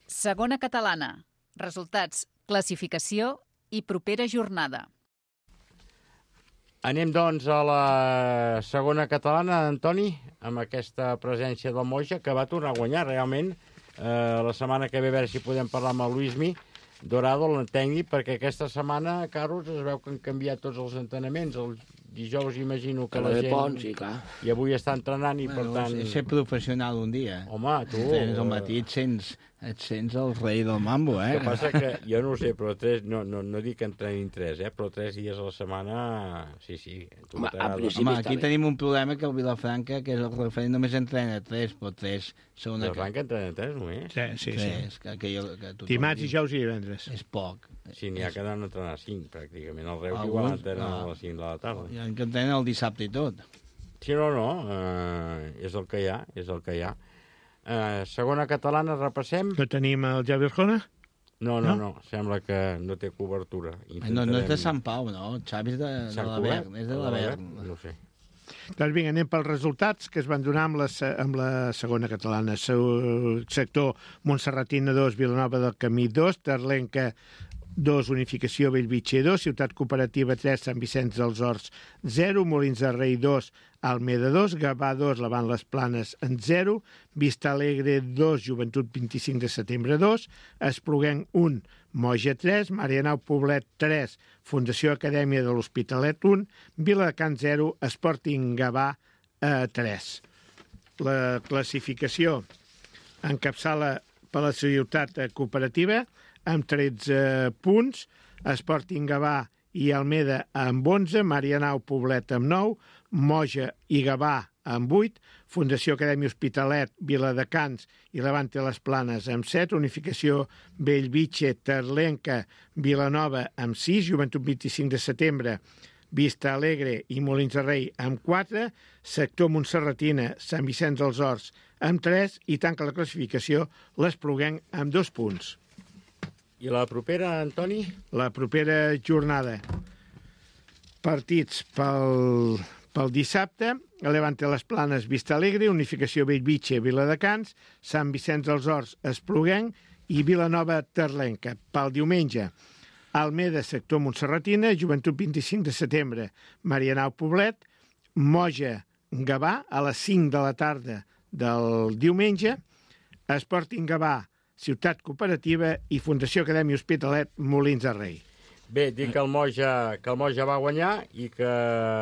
Segona catalana. Resultats, classificació i propera jornada.
Anem, doncs, a la segona catalana, Antoni, amb aquesta presència del Moja, que va tornar a guanyar, realment. La setmana que ve, a veure si podem parlar amb el Luismi Dorado, el tècnic, perquè aquesta setmana, Carlos, es veu que han canviat tots els entrenaments. El dijous imagino que la gent...
Pont, sí, clar.
I avui està entrenant i, per tant...
És ser professional un dia.
Home, tu...
Al matí et sents Et sents el rei del mambo,
El que passa que, jo no ho sé, però no dic que entrenin 3, però 3 dies a la setmana, sí.
Home, aquí tenim un problema que el Vilafranca, que és el referent, només entrena 3, però 3 són una...
Vilafranca entrena 3 només?
Sí.
3, que
dimarts, dijous i divendres.
És poc.
Sí, n'hi ha que han d'entrenar 5, pràcticament. El Reus igual entrena a les 5 de la tarda.
Hi ha que entrenen el dissabte i tot.
Sí, no, és el que hi ha, segona catalana, repassem.
No tenim el Javi Arjona?
No, sembla que no té cobertura.
No és de Sant Pau, no? El Xavi és de l'Avern, és de l'Avern.
No sé.
Doncs vinga, anem pels resultats que es van donar amb la segona catalana. Sector Montserratina 2, Vilanova del Camí 2, Terlenca 2, Unificació Bellvitge 2, Ciutat Cooperativa 3, Sant Vicenç dels Horts 0, Molins de Rei 2, Almeda 2, Gavà 2, Lavant les Planes en 0, Vista Alegre 2, Joventut 25 de setembre 2, Espluguenc 1, Moja 3, Marianao Poblet 3, Fundació Acadèmia de l'Hospitalet 1, Viladecans 0, Sporting Gavà 3. La classificació encapçala per la Ciutat Cooperativa amb 13 punts, Sporting Gavà i Almeda amb 11, Marianao Poblet amb 9, Moja i Gavà amb 8, Fundació Acadèmia Hospitalet, Viladecans i Levante les Planes amb 7, Unificació Bellvitge, Terlenca, Vilanova amb 6, Joventut 25 de setembre, Vista Alegre i Molins de Rei amb 4, Sector Montserratina, Sant Vicenç dels Horts amb 3 i tanca la classificació l'Espluguenc amb 2 punts.
I la propera, Antoni?
La propera jornada. Partits pel dissabte, Levante les Planes, Vista Alegre, Unificació Bellvitge, Viladecans, Sant Vicenç dels Horts, Espluguenc i Vilanova Terlenca. Pel diumenge, Almeda, Sector Montserratina, Joventut 25 de setembre, Marianao Poblet, Moja, Gavà, a les 5 de la tarda del diumenge, Sporting Gavà, Ciutat Cooperativa i Fundació Acadèmia Hospitalet, Molins de Rei.
Bé, dic que el Moja va guanyar i que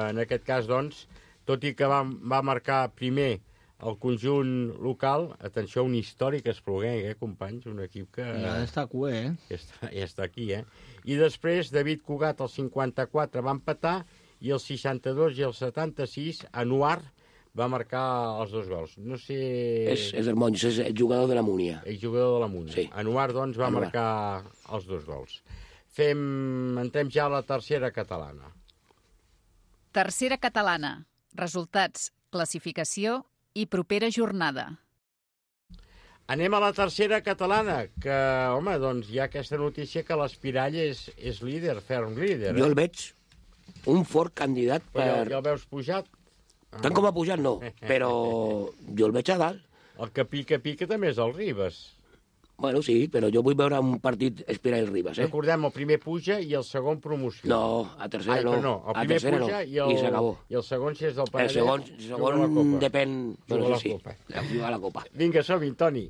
en aquest cas, doncs, tot i que va marcar primer el conjunt local, atenció, un històric Espluguenc, companys? Un equip que...
Ja està cué,
Ja està aquí, I després, David Cugat, el 54, va empatar, i el 62 i el 76, Anuar va marcar els 2 gols. No sé...
És del Monys, és el jugador de la Múnia.
El jugador de la Múnia.
Sí.
Anuar, doncs, va marcar els 2 gols. Entrem ja a la tercera catalana.
Tercera catalana. Resultats, classificació i propera jornada.
Anem a la tercera catalana, que, home, doncs hi ha aquesta notícia que l'Espirall és líder, ferm líder.
Jo el veig un fort candidat per...
Ja el veus pujat?
Tant com ha pujat, no, però jo el veig a dalt.
El que pica també és el Ribes.
Bueno, sí, però jo vull veure un partit Espirall-Ribes,
Recordem, el primer puja i el segon promoció.
No, a tercera no.
El primer puja
i s'acabó.
I el segon, si és del Penedès...
El segon depèn...
Juga a
la Copa.
Vinga, som-hi, Toni.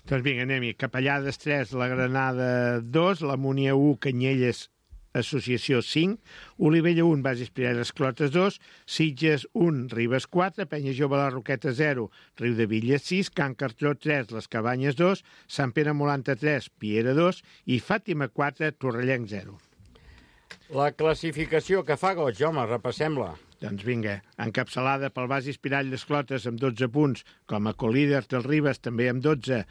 Doncs vinga, anem-hi. Capellades 3, la Granada 2, la Múnia 1, Canyelles Associació 5, Olivella 1, Bases Pireres Clotes 2, Sitges 1, Ribes 4, Penya Jove la Roqueta 0, Riu de Villes 6, Can Cartró 3, Les Cabanyes 2, Sant Pere Molanta 3, Piera 2 i Fàtima 4, Torrellenc 0.
La classificació que fa goig, home, repassem-la.
Doncs vinga, encapçalada pel Bases Pirall Les Clotes amb 12 punts, com a colíder del Ribes també amb 12,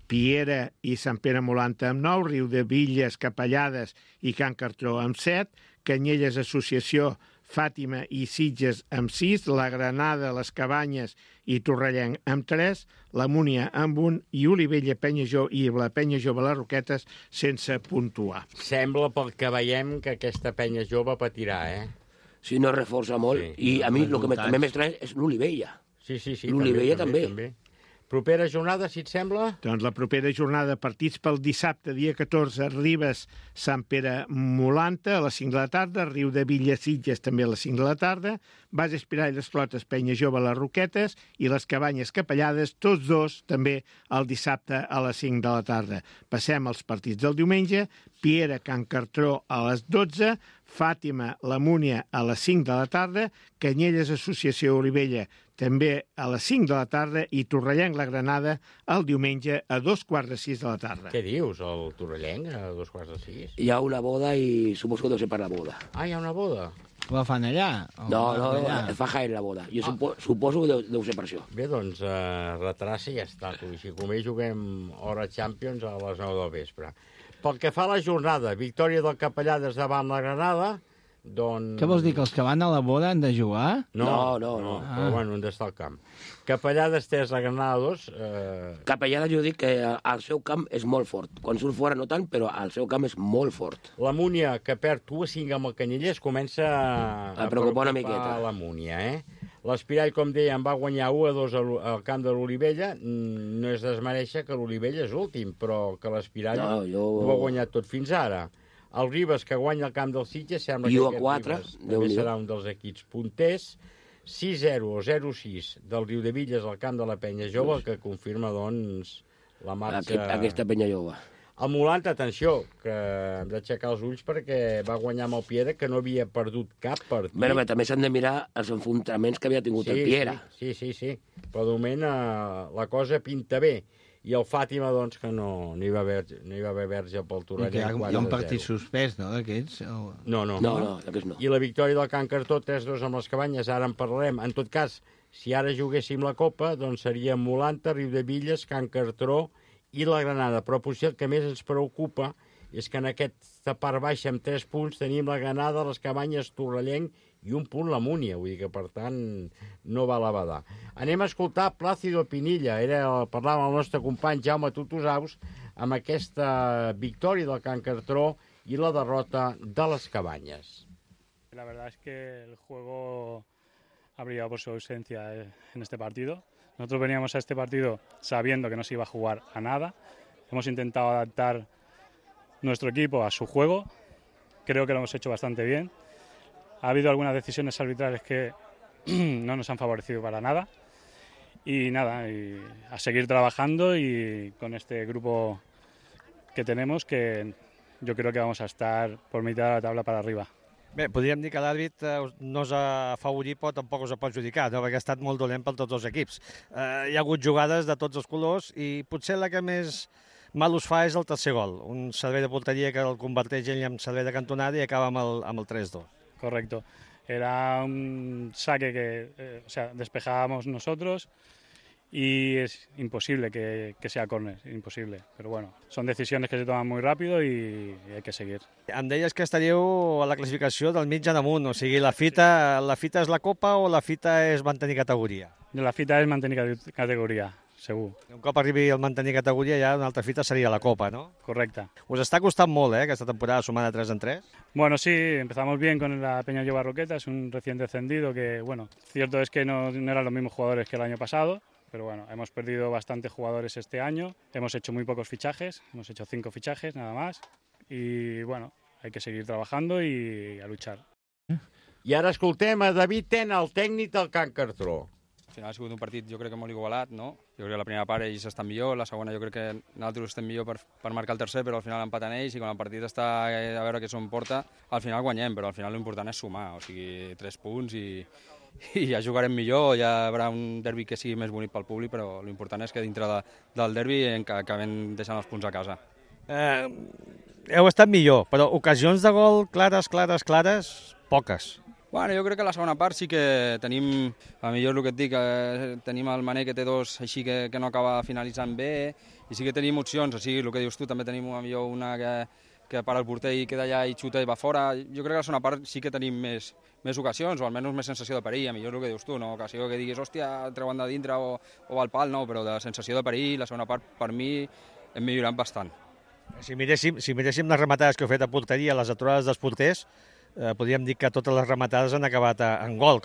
Piera i Sant Pere Molanta amb 9, Riu de Villes, Capellades i Can Cartró amb 7, Canyelles Associació, Fàtima i Sitges amb 6, la Granada, les Cabanyes i Torrellenc amb 3, la Múnia amb 1 i Olivella, i la Penya Jove les Roquetes sense puntuar.
Sembla pel que veiem que aquesta Penya Jove patirà,
Sí, no reforça molt. Sí, i a mi el que també m'estranya és l'Olivella.
Sí.
L'Olivella també.
Propera jornada, si et sembla?
Doncs la propera jornada, partits pel dissabte, dia 14, Ribes, Sant Pere Molanta, a les 5 de la tarda, Riu de Villes, Sitges, també a les 5 de la tarda, Bases Pirall, Les Clotes, Penya Jove, Les Roquetes i les Cabanyes Capellades, tots dos també el dissabte a les 5 de la tarda. Passem als partits del diumenge, Piera, Can Cartró a les 12, Fàtima, la Múnia a les 5 de la tarda, Canyelles Associació Olivella també a les 5 de la tarda, i Torrellenc la Granada el diumenge a 5:45 de la tarda.
Què dius, el Torrellenc a 5:45?
Hi ha una boda i suposo que deu ser per la boda.
Ah, hi ha una boda?
La fan allà?
No, es fa Jaén la boda. Jo suposo que deu ser per això.
Bé, doncs retraça i ja està. Així com ells juguem hora Champions a les 9 del vespre. Pel que fa a la jornada, victòria del Capellades davant la Granada, doncs...
Què vols dir, que els que van a la boda han de jugar?
No.
Però bueno, han d'estar al camp. Capellades 3, la Granada 2...
Capellades jo dic que el seu camp és molt fort. Quan surt fora no tant, però el seu camp és molt fort.
La Múnia, que perd 1-5 amb el Canyelles, comença
a preocupar una miqueta.
La Múnia, L'Espirall, com dèiem, va guanyar 1-2 al camp de l'Olivella. No és desmereixer que l'Olivella és últim, però que l'Espirall ho ha guanyat tot fins ara. El Ribes, que guanya el camp del Sitges, sembla que aquest Ribes també serà un dels equips punters. 6-0 o 0-6 del Riudevilles al camp de la Penya Jove, que confirma, doncs, la marxa...
Aquesta Penya Jove.
El Molant, atenció, que hem d'aixecar els ulls perquè va guanyar amb el Piera, que no havia perdut cap partit.
Bé, també s'han de mirar els enfrontaments que havia tingut el Piera.
Sí. Però de moment la cosa pinta bé. I el Fàtima, doncs, que no hi va haver verge pel Torrellenc.
Hi ha un partit suspès, no, d'aquests?
No,
d'aquests no.
I la victòria del Can Cartó, 3-2 amb les Cabanyes, ara en parlarem. En tot cas, si ara juguéssim la Copa, doncs seria Molanta, Riudevilles, Can Cartó i la Granada. Però potser el que més ens preocupa és que en aquesta part baixa amb 3 punts tenim la Granada, les Cabanyes, Torrellenc i un punt la Múnia. Vull dir que, per tant, no va a la badar. Anem a escoltar Plácido Pinilla. Parlava amb el nostre company Jaume Tutusaus amb aquesta victòria del Can Cartó y la derrota de las Cabañas.
La verdad es que el juego ha brillado por su ausencia en este partido. Nosotros veníamos a este partido sabiendo que no se iba a jugar a nada. Hemos intentado adaptar nuestro equipo a su juego. Creo que lo hemos hecho bastante bien. Ha habido algunas decisiones arbitrales que no nos han favorecido para nada. Y nada, y a seguir trabajando y con este grupo que tenemos, que jo crec que vamos a estar por mitad de la taula per arriba.
Bé, podríem dir que l'àrbit no us ha afavorit, però tampoc us ha perjudicat, no? Perquè ha estat molt dolent per tots els equips. Hi ha hagut jugades de tots els colors i potser la que més mal us fa és el tercer gol. Un servei de porteria que el converteix ell en servei de cantonada i acaba amb el 3-2.
Correcto. Era un saque que despejábamos nosotros y es imposible que sea córner, imposible. Pero bueno, son decisiones que se toman muy rápido y hay que seguir.
Em deies que estaríeu a la classificació del mig en amunt, o sigui, la fita és la Copa o la fita és mantenir categoria?
La fita és mantenir categoria, segur.
Un cop arribi el mantenir categoria ja una altra fita seria la Copa, ¿no?
Correcta.
Us està costant molt, aquesta temporada sumada 3 en 3?
Bueno, sí, empezamos bien con la Peña Llova Roqueta, es un recién descendido que, bueno, cierto es que no eran los mismos jugadores que el año pasado, pero bueno, hemos perdido bastantes jugadores este año, hemos hecho muy pocos fichajes, hemos hecho 5 fichajes nada más, y bueno, hay que seguir trabajando y a luchar.
I ara escoltem a David Tena, el tècnic del Can Cartó.
Al final ha sigut un partit, jo crec que molt igualat, no? Jo crec que la primera part ells estan millor, la segona jo crec que nosaltres estem millor per marcar el tercer, però al final empaten ells i quan el partit està a veure què s'on porta, al final guanyem, però al final l'important és sumar, o sigui, 3 punts i ja jugarem millor, ja hi haurà un derbi que sigui més bonic pel públic, però l'important és que dintre del derbi acabem deixant els punts a casa.
Heu estat millor, però ocasions de gol clares, poques.
Bueno, jo crec que a la segona part sí que tenim, a millor el que et dic, tenim el Mané que té 2 així que no acaba finalitzant bé, i sí que tenim opcions, o sigui, el que dius tu, també tenim millor una que para el porter i queda allà i xuta i va fora. Jo crec que a la segona part sí que tenim més ocasions, o almenys més sensació de perill, a millor el que dius tu, no? Ocasió que diguis, hòstia, treuen de dintre o al pal, no, però de sensació de perill, la segona part, per mi, hem millorat bastant.
Si miréssim les rematades que heu fet a porteria, les aturades dels porters, podríem dir que totes les rematades han acabat en gol.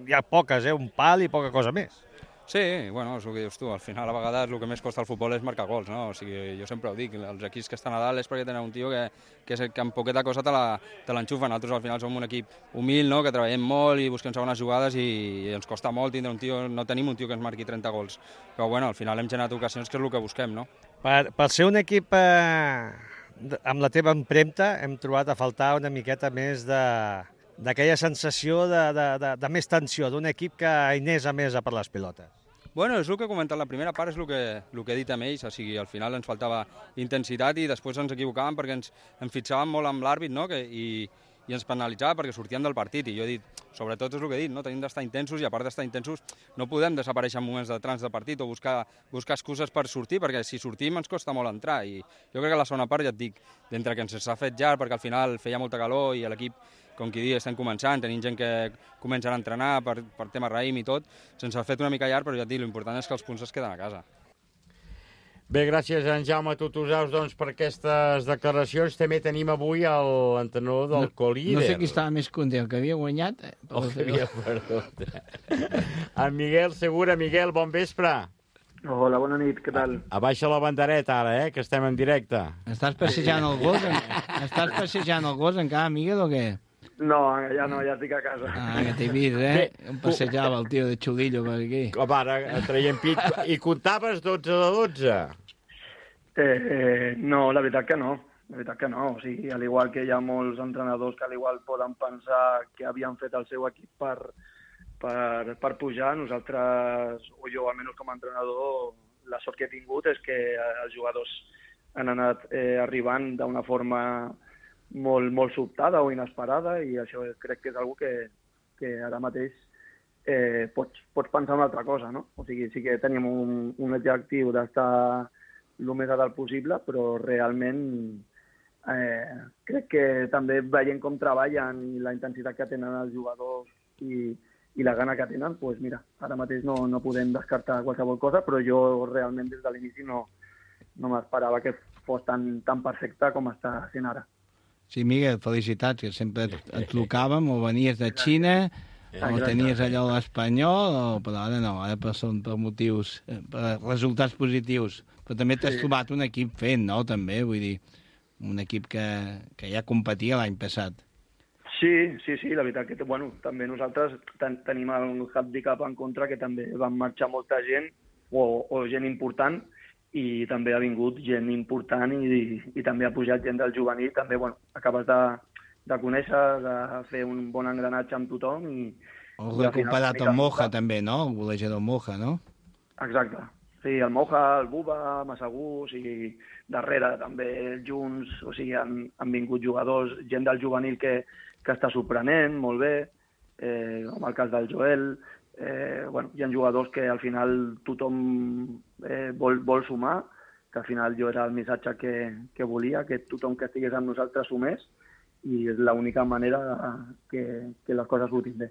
Hi ha poques, un pal i poca cosa més.
Sí, bueno, és el que dius tu, al final a vegades el que més costa al futbol és marcar gols, no? O sigui, jo sempre ho dic, els equips que estan a dalt és perquè tenen un tio que amb poqueta cosa te l'enxufa. Nosaltres al final som un equip humil, no? Que treballem molt i busquem segones jugades i ens costa molt tindre un tio, no tenim un tio que ens marqui 30 gols. Però bueno, al final hem generat ocasions que és el que busquem, no?
Per ser un equip amb la teva empremta hem trobat a faltar una miqueta més de d'aquella sensació de més tensió, d'un equip que anés a més a per les pilotes.
Bueno, és el que he comentat, la primera part és el que he dit amb ells, o sigui, al final ens faltava intensitat i després ens equivocàvem perquè ens fixàvem molt amb l'àrbit, no? I ens penalitzava perquè sortíem del partit, i jo he dit, sobretot és el que he dit, no? Tenim d'estar intensos, i a part d'estar intensos no podem desaparèixer en moments de trans de partit o buscar excuses per sortir, perquè si sortim ens costa molt entrar, i jo crec que la segona part, ja et dic, d'entre que ens s'ha fet llarg perquè al final feia molta calor i l'equip, com qui diu, estem començant, tenim gent que comença a entrenar per tema raïm i tot, se'ns ha fet una mica llarg, però ja et dic, l'important és que els punts es queden a casa.
Bé, gràcies en Jaume Tutusaus per aquestes declaracions. També tenim avui l'entrenador del co-líder.
No sé qui estava més content, el que havia guanyat.
O que havia perdut. En Miguel Segura. Miguel, bon vespre.
Hola, bona nit, què tal?
Abaixa la bandereta ara, que estem en directe.
Estàs passejant el gos? Estàs passejant el gos encara, Miguel, o què?
No, ja estic a casa.
Que t'he vist, Em passejava el tio de Xulillo per aquí.
Com ara, traient pit. I comptaves 12 de
12? No, la veritat que no. La veritat que no. O sigui, al igual que hi ha molts entrenadors que al igual poden pensar que havien fet el seu equip per pujar, nosaltres, o jo almenys com a entrenador, la sort que he tingut és que els jugadors han anat arribant d'una forma molt sobtada o inesperada, i això crec que és una que ara mateix pots pensar una altra cosa, no? O sigui, sí que tenim un objectiu d'estar el més a dalt possible, però realment crec que també veient com treballen i la intensitat que tenen els jugadors i la gana que tenen, doncs mira, ara mateix no podem descartar qualsevol cosa, però jo realment des de l'inici no m'esperava que fos tan perfecte com està sent ara.
Sí, Miguel, felicitats, que sempre et trucàvem, o venies de Xina, o tenies allò a l'Espanyol, però ara no, ara són per motius, per resultats positius. Però també t'has trobat un equip fent, no?, també, vull dir, un equip que ja competia l'any passat.
Sí, la veritat que, bueno, també nosaltres tenim el handicap en contra, que també van marxar molta gent, o gent important, i també ha vingut gent important i també ha pujat gent del juvenil. També, bueno, acabes de conèixer, de fer un bon engranatge amb tothom.
O recuperat el Moja, també, no? El golejador Moja, no?
Exacte. Sí, el Moja, el Buba, Massagú, o sigui, darrere també junts, o sigui, han vingut jugadors, gent del juvenil que està sorprenent molt bé, com el cas del Joel. Bueno, hi ha jugadors que al final tothom vol sumar, que al final jo era el missatge que volia, que tothom que estigués amb nosaltres sumés, i és l'única manera que les coses surtin bé.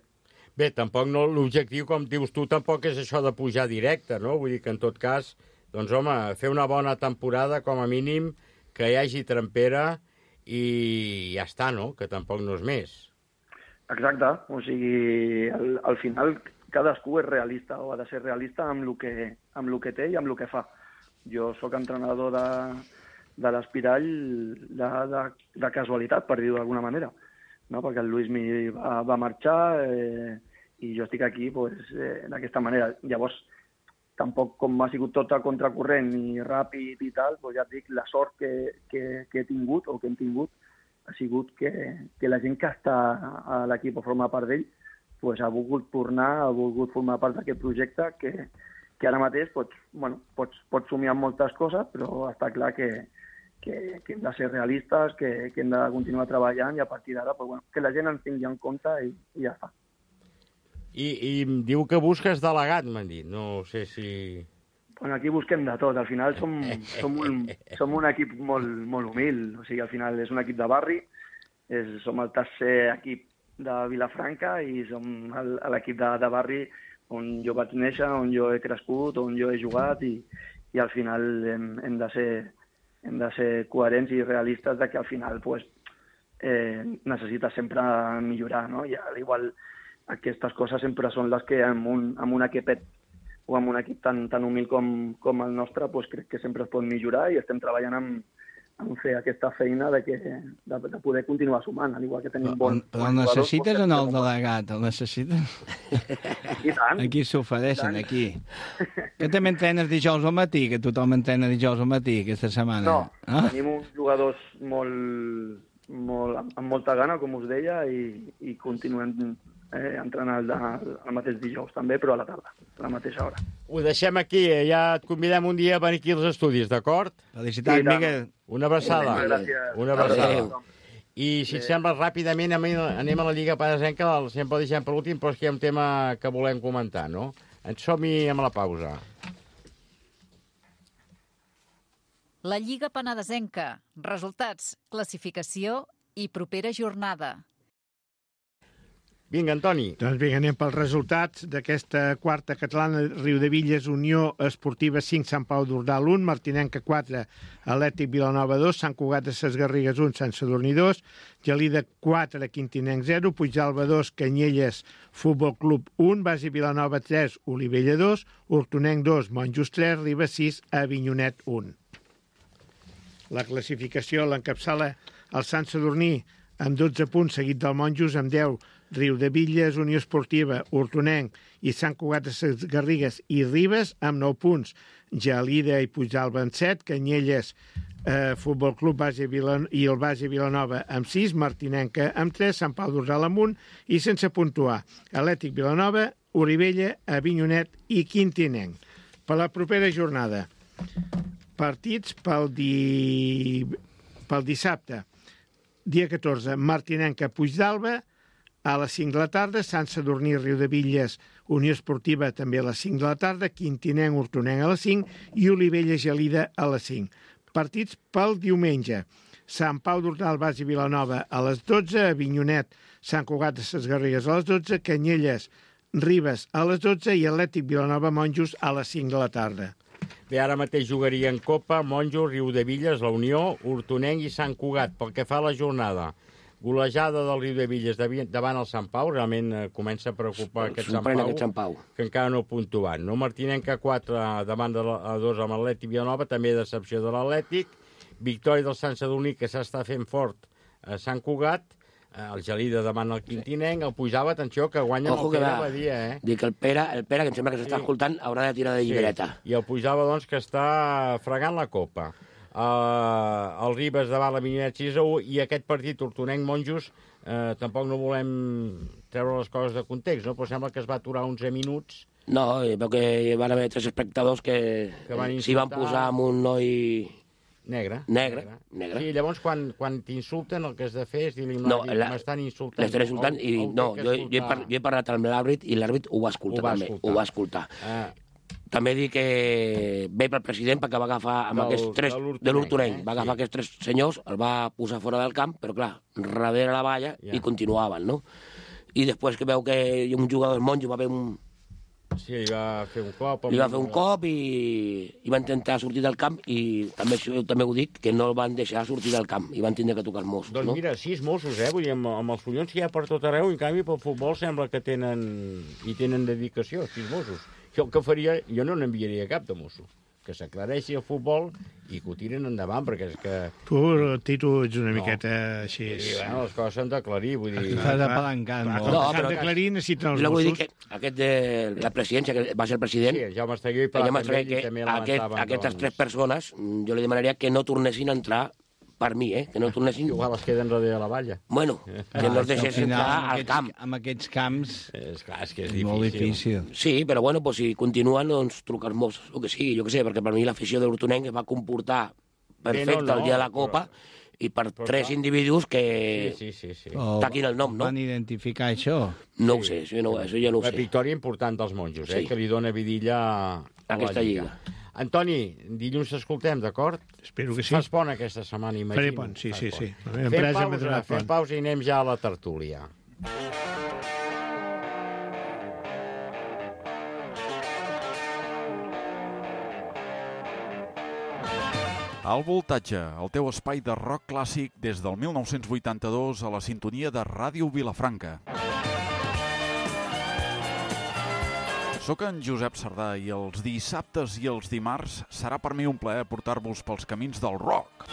Bé, tampoc l'objectiu, com dius tu, tampoc és això de pujar directe, no? Vull dir que en tot cas, doncs home, fer una bona temporada, com a mínim, que hi hagi trempera i ja està, no? Que tampoc no és més.
Exacte, o sigui, al final cadascú és realista o ha de ser realista amb el que té i amb el que fa. Jo sóc entrenador de l'Espirall de casualitat, per dir-ho d'alguna manera, no? Perquè el Luis va marxar i jo estic aquí d'aquesta manera. Llavors, tampoc com ha sigut tot a contracorrent i ràpid i tal, ja et dic, la sort que he tingut o que hem tingut ha sigut que la gent que està a l'equip o forma part d'ell ha volgut tornar, ha volgut formar part d'aquest projecte que ara mateix pots somiar amb moltes coses, però està clar que hem de ser realistes, que hem de continuar treballant i a partir d'ara que la gent ens tingui en compte i ja està.
I diu que busques delegat, m'han dit. No sé si...
Aquí busquem de tot. Al final som un equip molt humil. O sigui, al final és un equip de barri, som el tercer equip de Vilafranca i som l'equip de barri on jo vaig néixer, on jo he crescut, on jo he jugat i al final hem de ser coherents i realistes de que al final necessites sempre millorar, no? I al igual aquestes coses sempre són les que amb un equipet o amb un equip tan humil com el nostre crec que sempre es pot millorar i estem treballant en fer aquesta feina de poder continuar sumant, al igual que tenim bons jugadors.
Però necessites o no el delegat? El necessites?
I tant.
Aquí s'ofereixen, aquí. Que també entrenes dijous al matí, que tothom entrena dijous al matí aquesta setmana.
No, tenim uns jugadors amb molta gana, com us deia, i continuem entrenant el mateix dijous també, però a la tarda, a la mateixa hora.
Ho deixem aquí, ja et convidem un dia a venir aquí als estudis, d'acord?
Felicitats, Miquel.
Una abraçada.
Gràcies.
Una abraçada. I, si et sembla, ràpidament anem a la Lliga Penesenca, sempre deixem per l'últim, però és que hi ha un tema que volem comentar, no? Ens som-hi amb la pausa.
La Lliga Penedesenca. Resultats, classificació i propera jornada.
Vinga, Antoni.
Doncs vinga, anem pels resultats d'aquesta quarta catalana. Riudevilles, Unió Esportiva 5, Sant Pau d'Ordal 1, Martinenca 4, Atlètic Vilanova 2, Sant Cugat de Ses Garrigues 1, Sant Sadurní 2, Gelida 4, Quintinenc 0, Puigdàlber 2, Canyelles Futbol Club 1, Basi Vilanova 3, Olivella 2, Hortonenc 2, Monjos 3, Ribes 6, Avinyonet 1. La classificació l'encapçala el Sant Sadurní amb 12 punts, seguit del Monjos amb 10, Riudevilles, Unió Esportiva, Hortonenc i Sant Cugat de Ses Garrigues i Ribes amb 9 punts, Gelida i Puigdàlber amb 7, Canyelles, Futbol Club i el Basi Vilanova amb 6, Martinenca amb 3, Sant Pau d'Ordal amb 1 i sense puntuar, Atlètic Vilanova, Olivella, Avinyonet i Quintinenc. Per la propera jornada, partits pel dissabte, dia 14, Martinenca, Puigdàlber, a les 5 de la tarda, Sant Sadurní, Riudevilles, Unió Esportiva també a les 5 de la tarda, Quintinenc, Hortonenc a les 5 i Olivella, Gelida a les 5. Partits pel diumenge, Sant Pau d'Ordal, Basi Vilanova a les 12, Avinyonet, Sant Cugat de Ses Garrigues a les 12, Canyelles, Ribes a les 12 i Atlètic Vilanova, Monjos a les 5 de la tarda.
Bé, ara mateix jugaria en Copa, Monjos, Riudevilles, la Unió, Hortonenc i Sant Cugat. Pel que fa a la jornada, golejada del Riudevilles davant el Sant Pau, realment comença a preocupar aquest Sant Pau, que encara no ha puntuat. No? Martinenca 4 davant de 2 amb l'Atlètic Vilanova, també decepció de l'Atlètic. Victòria del Sant Sadurní, que s'està fent fort a Sant Cugat. El Gelida davant el Quintinenc, el Puigdàlber, atenció, que guanya amb el Pere Badia,
Dic que el Pere, que em sembla que s'està escoltant, haurà de tirar de llibreta.
I el Puigdàlber, doncs, que està fregant la copa. El Ribes davant la Avinyonet 6-1 i aquest partit Hortonenc-Monjos tampoc no volem treure les coses de context, no? Però sembla que es va aturar 11 minuts.
No, veu que hi van haver 3 espectadors que s'hi van posar amb un noi...
Negre.
Sí,
llavors quan t'insulten el que has de fer és dir-li m'estan insultant.
L'estan insultant i no, jo he parlat amb l'àrbit i l'àrbit ho va escoltar. També dic que ve pel president perquè va agafar amb aquests 3 de l'Hortonenc, va agafar aquests 3 senyors, el va posar fora del camp, però clar, darrere la valla i continuaven, no? I després que veu que un jugador del Monjo va haver un...
Sí, li va fer un cop.
Li va fer un cop i va intentar sortir del camp i també ho dic, que no el van deixar sortir del camp i van tindre que tocar els Mossos.
Doncs mira, 6 Mossos, vull dir, amb els collons que hi ha per tot arreu, en canvi pel futbol sembla que tenen dedicació, 6 Mossos. Jo el que faria, jo no n'enviaria cap de Mosso, que s'aclareixi el futbol i que ho tiren endavant, perquè és que...
Tu, Tito, ets una miqueta així...
Sí, bueno, les coses s'han d'aclarir, vull dir...
S'ha d'apalancant molt.
No, però d'aclarir necessiten els
Mossos. Vull dir
que
aquest de la presidència, que va ser el president...
Sí, Jaume Estagué i Pla també
també aquestes 3 persones, jo li demanaria que no tornessin a entrar per mi, que no tornessin...
Igual es queden darrere de la valla.
Bueno, que no es deixessin entrar al camp.
Amb aquests camps
és que és
molt difícil.
Sí, però bueno, pues, si continuen, doncs trucar els Mossos, o que sí, jo què sé, perquè per mi l'afició de l'Hortonenc es va comportar perfecte el dia de la Copa i per 3 individus que taquin el nom, no?
Van identificar això?
No ho sé, això ja no ho sé.
La victòria important dels Monjos, que li dona vidilla a
aquesta lliga.
Antoni, dilluns t'escoltem, d'acord?
Espero que sí.
Fas pont aquesta setmana, imagino.
Faré pont, sí.
Fem pausa i anem ja a la tertúlia.
Al Voltatge, el teu espai de rock clàssic des del 1982 a la sintonia de Ràdio Vilafranca. Soc en Josep Sardà i els dissabtes i els dimarts serà per mi un plaer portar-vos pels camins del rock.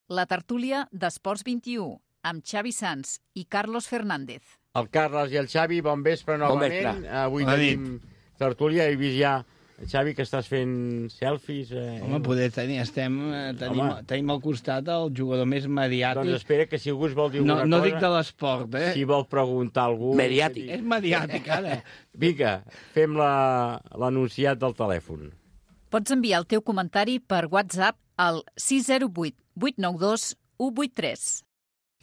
la tertúlia d'Esports 21, amb Xavi Sans i Carlos Fernández.
El Carles i el Xavi, bon vespre novament. Avui tenim tertúlia. He vist ja, Xavi, que estàs fent selfies.
Home, poder tenir, tenim al costat el jugador més mediàtic.
Doncs espera, que si algú es vol dir alguna cosa...
No dic de l'esport,
Si vol preguntar a algú...
Mediàtic.
És mediàtic, ara.
Vinga, fem l'anunciat del telèfon.
Pots enviar el teu comentari per WhatsApp al 608 892 183.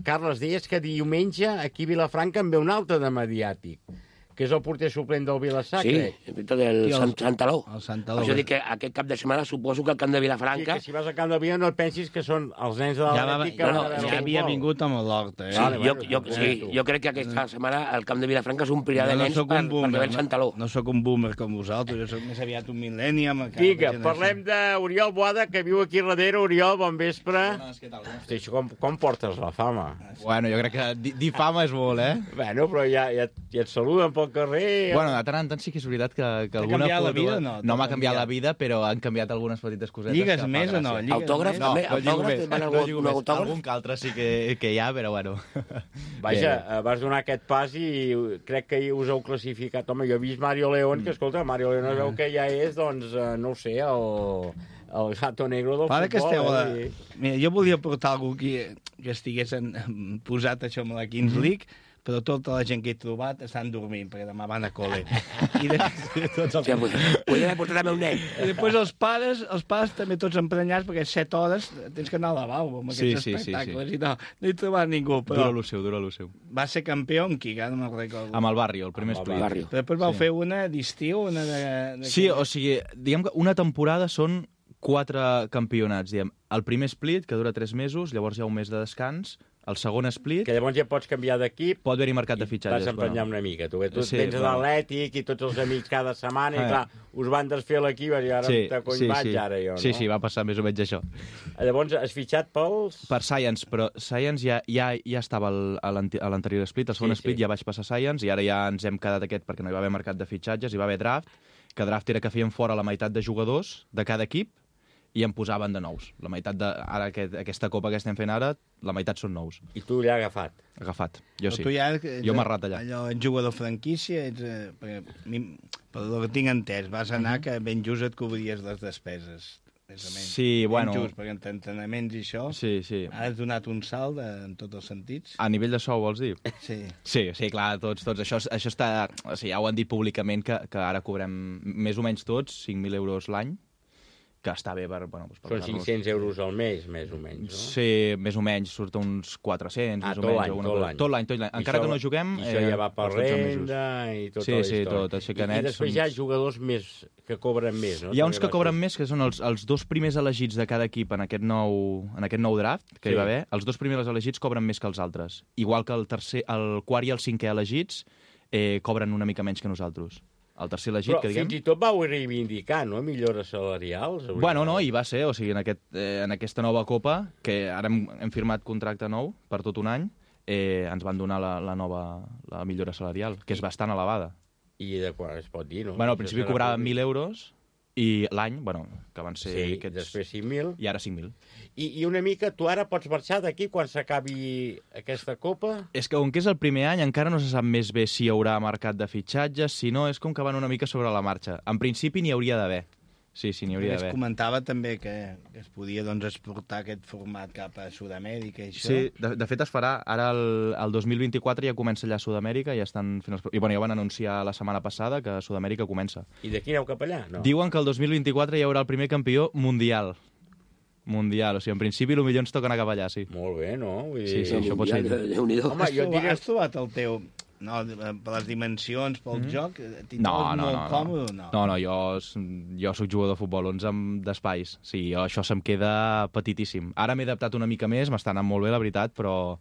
Carles, deies que diumenge aquí a Vilafranca en ve un altre de mediàtic, que és el porter suplent del Vilassar, crec.
Sí, del Santaló.
El Santaló.
Això dic que aquest cap de setmana suposo que al camp de Vilafranca...
Sí, que si vas al camp de Vilafranca no et pensis que són els nens de l'Atlètic...
Ja havia vingut amb l'Horta,
Jo crec que aquesta setmana el camp de Vilafranca s'omplirà de nens per veure el Santaló.
No sóc un boomer com vosaltres, jo sóc més aviat un millennium.
Vinga, parlem d'Oriol Boada, que viu aquí darrere. Oriol, bon vespre. Hosti, com portes la fama?
Bueno, jo crec que dir fama és molt,
Bueno, però ja et saluden pel carrer...
Bueno, de tant en tant sí que és veritat que alguna
foto... la vida o no?
No m'ha canviat la vida, però han canviat algunes petites cosetes.
Lligues més o no?
Autògraf també?
No lligo més. Algun que altre sí que hi ha, però bueno.
Vaja, vas donar aquest pas i crec que us heu classificat. Home, jo he vist Mario León, que escolta, Mario León es veu que ja és, doncs, no ho sé, el gato negro del futbol.
Mira, jo volia portar algú que estigués posat això amb la Kings League, però tota la gent que he trobat estan dormint, perquè demà van a col·le.
Podria haver portat també un nen.
I després els pares també tots emprenyats, perquè 7 hores tens que anar al lavabo amb aquests espectacles. I no he trobat ningú.
Dura lo seu.
Va ser campió amb qui? No me'n recordo.
Amb el Barrio, el primer split.
Però després vau fer una d'estiu, una de...
Sí, o sigui, diguem que una temporada són 4 campionats, diguem. El primer split, que dura 3 mesos, llavors hi ha un mes de descans. El segon split...
Que llavors ja pots canviar d'equip...
Pot haver-hi mercat de fitxatges.
Vas emprenyar una mica. Tu vens a l'Atlètic i tots els amics cada setmana i, clar, us van desfer l'equip i ara te cony vaig, ara jo, no?
Sí, va passar més o menys això.
Llavors, has fitxat pels...
Per Science, però Science ja estava a l'anterior split. El segon split ja vaig passar Science i ara ja ens hem quedat aquest perquè no hi va haver mercat de fitxatges, hi va haver draft, que draft era que feien fora la meitat de jugadors de cada equip i en posaven de nous. La meitat ara aquesta copa que estem fent ara, la meitat són nous.
I tu l'has agafat?
Agafat, jo sí.
Jo
m'he errat allà.
Allò, ets jugador franquícia, per el que tinc entès, vas anar que ben just et cobries les despeses.
Sí, bueno...
Ben just, perquè entre entrenaments i això has donat un salt en tots els sentits.
A nivell de sou, vols dir?
Sí.
Sí, clar, tots. Això està... O sigui, ja ho han dit públicament que ara cobrem més o menys tots 5.000 euros l'any, que està bé per...
Són 500 euros al mes, més o menys, no?
Sí, més o menys, surt uns 400, més o menys.
Tot l'any.
Encara que no juguem...
I això ja va per renda i tota la història.
Sí, tot.
I després hi ha jugadors més que cobren més, no?
Hi ha uns que cobren més, que són els 2 primers elegits de cada equip en aquest nou draft que hi va haver. Els 2 primers elegits cobren més que els altres. Igual que el quart i el 5è elegits cobren una mica menys que nosaltres. El tercer elegit, que diguem...
Però fins i tot vau reivindicar, no?, millores salarials.
Bueno, no, hi va ser, o sigui, en aquesta nova Copa, que ara hem firmat contracte nou per tot un any, ens van donar la millora salarial, que és bastant elevada.
I de quan es pot dir, no?
Bueno, al principi cobràvem 1.000 euros, i l'any, que van ser
aquests... després 5.000.
I ara 5.000.
I una mica, tu ara pots marxar d'aquí quan s'acabi aquesta Copa?
És que, com que és el primer any, encara no se sap més bé si hi haurà mercat de fitxatges, si no, és com que van una mica sobre la marxa. En principi n'hi hauria d'haver. Sí, n'hi hauria d'haver.
Es comentava també que es podia exportar aquest format cap a Sud-amèrica i això.
Sí, de fet es farà. Ara el 2024 ja comença allà a Sud-amèrica i estan fent ja van anunciar la setmana passada que Sud-amèrica comença.
I d'aquí aneu cap allà? No.
Diuen que el 2024 hi haurà el primer campió mundial. O sigui, en principi el millor ens toca anar cap allà, sí.
Molt bé, no?
Sí, això pot ser.
Home, has trobat el teu... No, per les dimensions, pel joc, t'hi trobes molt còmode o no?
No, jo soc jugador de futbol 11 d'espais. Sí, això se'm queda petitíssim. Ara m'he adaptat una mica més, m'està anant molt bé, la veritat, però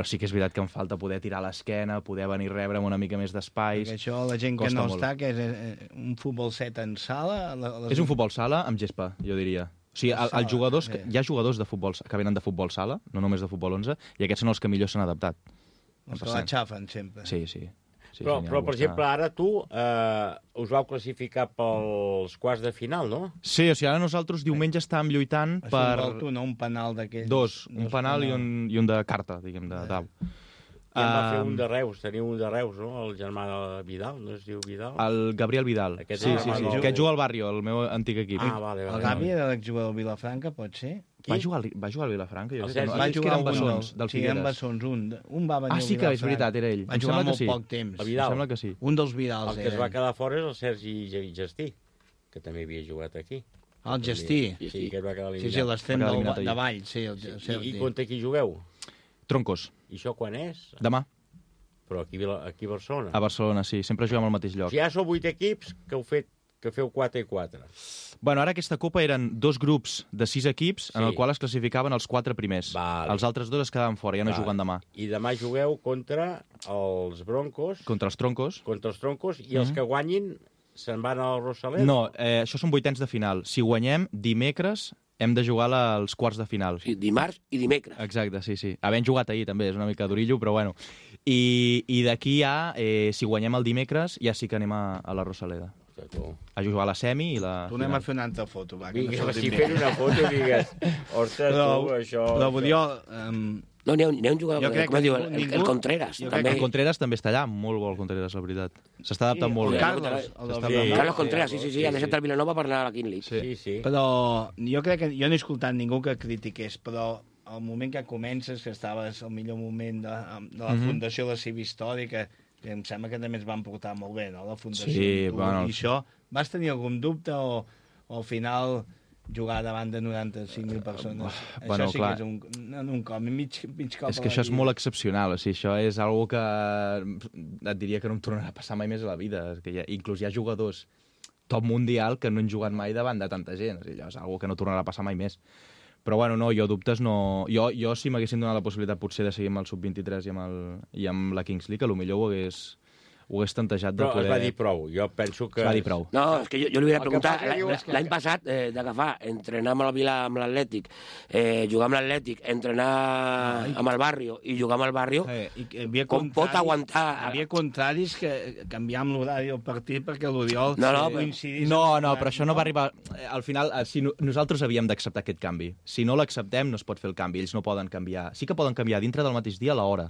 sí que és veritat que em falta poder tirar l'esquena, poder venir a rebre amb una mica més d'espais.
Perquè això, la gent que no està, que és un futbol 7 en sala...
És un futbol sala amb gespa, jo diria. O sigui, els jugadors, hi ha jugadors de futbol que venen de futbol sala, no només de futbol 11, i aquests són els que millor s'han adaptat.
Els que la xafen sempre.
Sí.
Però, per exemple, ara tu us vau classificar pels quarts de final, no?
Sí, o sigui, ara nosaltres diumenge estàvem lluitant per...
Això vol tu, no? Un penal d'aquells...
Dos, un penal i un de carta, diguem, de dau.
I en va fer un de Reus, teniu un de Reus, no? El germà de Vidal, no es diu Vidal?
El Gabriel Vidal. Sí. Aquest juga al Barrio, el meu antic equip.
Vale.
El Gavi era l'exjugador del Vilafranca, pot ser?
Va jugar al Vilafranca?
Va jugar un Bessons, del Figueres. Sí, en Bessons, un va venir al Vilafranca.
Sí, que és veritat, era ell.
Va jugar molt poc temps.
Em sembla que sí.
Un dels Vidals.
El que es va quedar fora és el Sergi Gestí, que també havia jugat aquí.
El Gestí?
Sí, que es va quedar eliminat.
Sí, l'extrem de Valls, sí, el Sergi.
I contra qui jugueu?
Troncos.
I això quan és?
Demà.
Però aquí a Barcelona?
A Barcelona, sí. Sempre juguem al mateix lloc.
Si ja sou 8 equips, que feu 4 i 4.
Bueno, ara aquesta Copa eren 2 grups de 6 equips en el qual es classificaven els 4 primers. Els altres 2 es quedaven fora, ja no juguen demà.
I demà jugueu contra els Broncos.
Contra els Troncos.
I els que guanyin se'n van a la Rosaleda?
No, això són vuitens de final. Si guanyem, dimecres hem de jugar als quarts de final.
Sí, dimarts i dimecres.
Exacte, sí. Havent jugat ahir també, és una mica d'orillo, però bueno. I d'aquí ja, si guanyem el dimecres, ja sí que anem a la Rosaleda. A jugar a la semi i la...
Tu anem a fer una altra foto, va.
Vinga, si fem una foto, digues, ostres, tu, això...
Però vull dir...
No, n'hi ha un jugador, com es diu, el Contreras.
El Contreras també està allà, molt bo el Contreras, la veritat. S'està adaptant molt bé.
Carlos Contreras, sí, ha deixat el Vilanova per anar a la Quinley.
Sí.
Però jo crec que... Jo no he escoltat ningú que critiqués, però al moment que comences, que estaves al millor moment de la Fundació de la Civa Històrica, que em sembla que també ens van portar molt bé, no?, la Fundació.
Sí, bueno...
I això, vas tenir algun dubte o al final jugar davant de 95.000 persones?
Bueno,
això sí
clar.
que és un cop, mig cop.
És que això és molt excepcional, o sigui, això és algo que et diria que no em tornarà a passar mai més a la vida. Que inclús hi ha jugadors top mundial que no han jugat mai davant de tanta gent. O sigui, allò és algo que no tornarà a passar mai més. Però bueno, no, jo dubtes no... Jo si m'haguessin donat la possibilitat potser de seguir amb el Sub-23 i amb la Kings League, potser ho hagués tantejat de poder...
Però es va dir prou, jo penso que...
Es va dir prou.
No, és que jo li volia preguntar, l'any passat, d'agafar, entrenar amb l'Atlètic, jugar amb l'Atlètic, entrenar amb el Barrio i jugar amb el Barrio, com pot aguantar...
Hi havia contraris que canviàvem l'horari del partit perquè l'Oriol coincidís...
No, però això no va arribar... Al final, nosaltres havíem d'acceptar aquest canvi. Si no l'acceptem, no es pot fer el canvi. Ells no poden canviar. Sí que poden canviar dintre del mateix dia l'hora,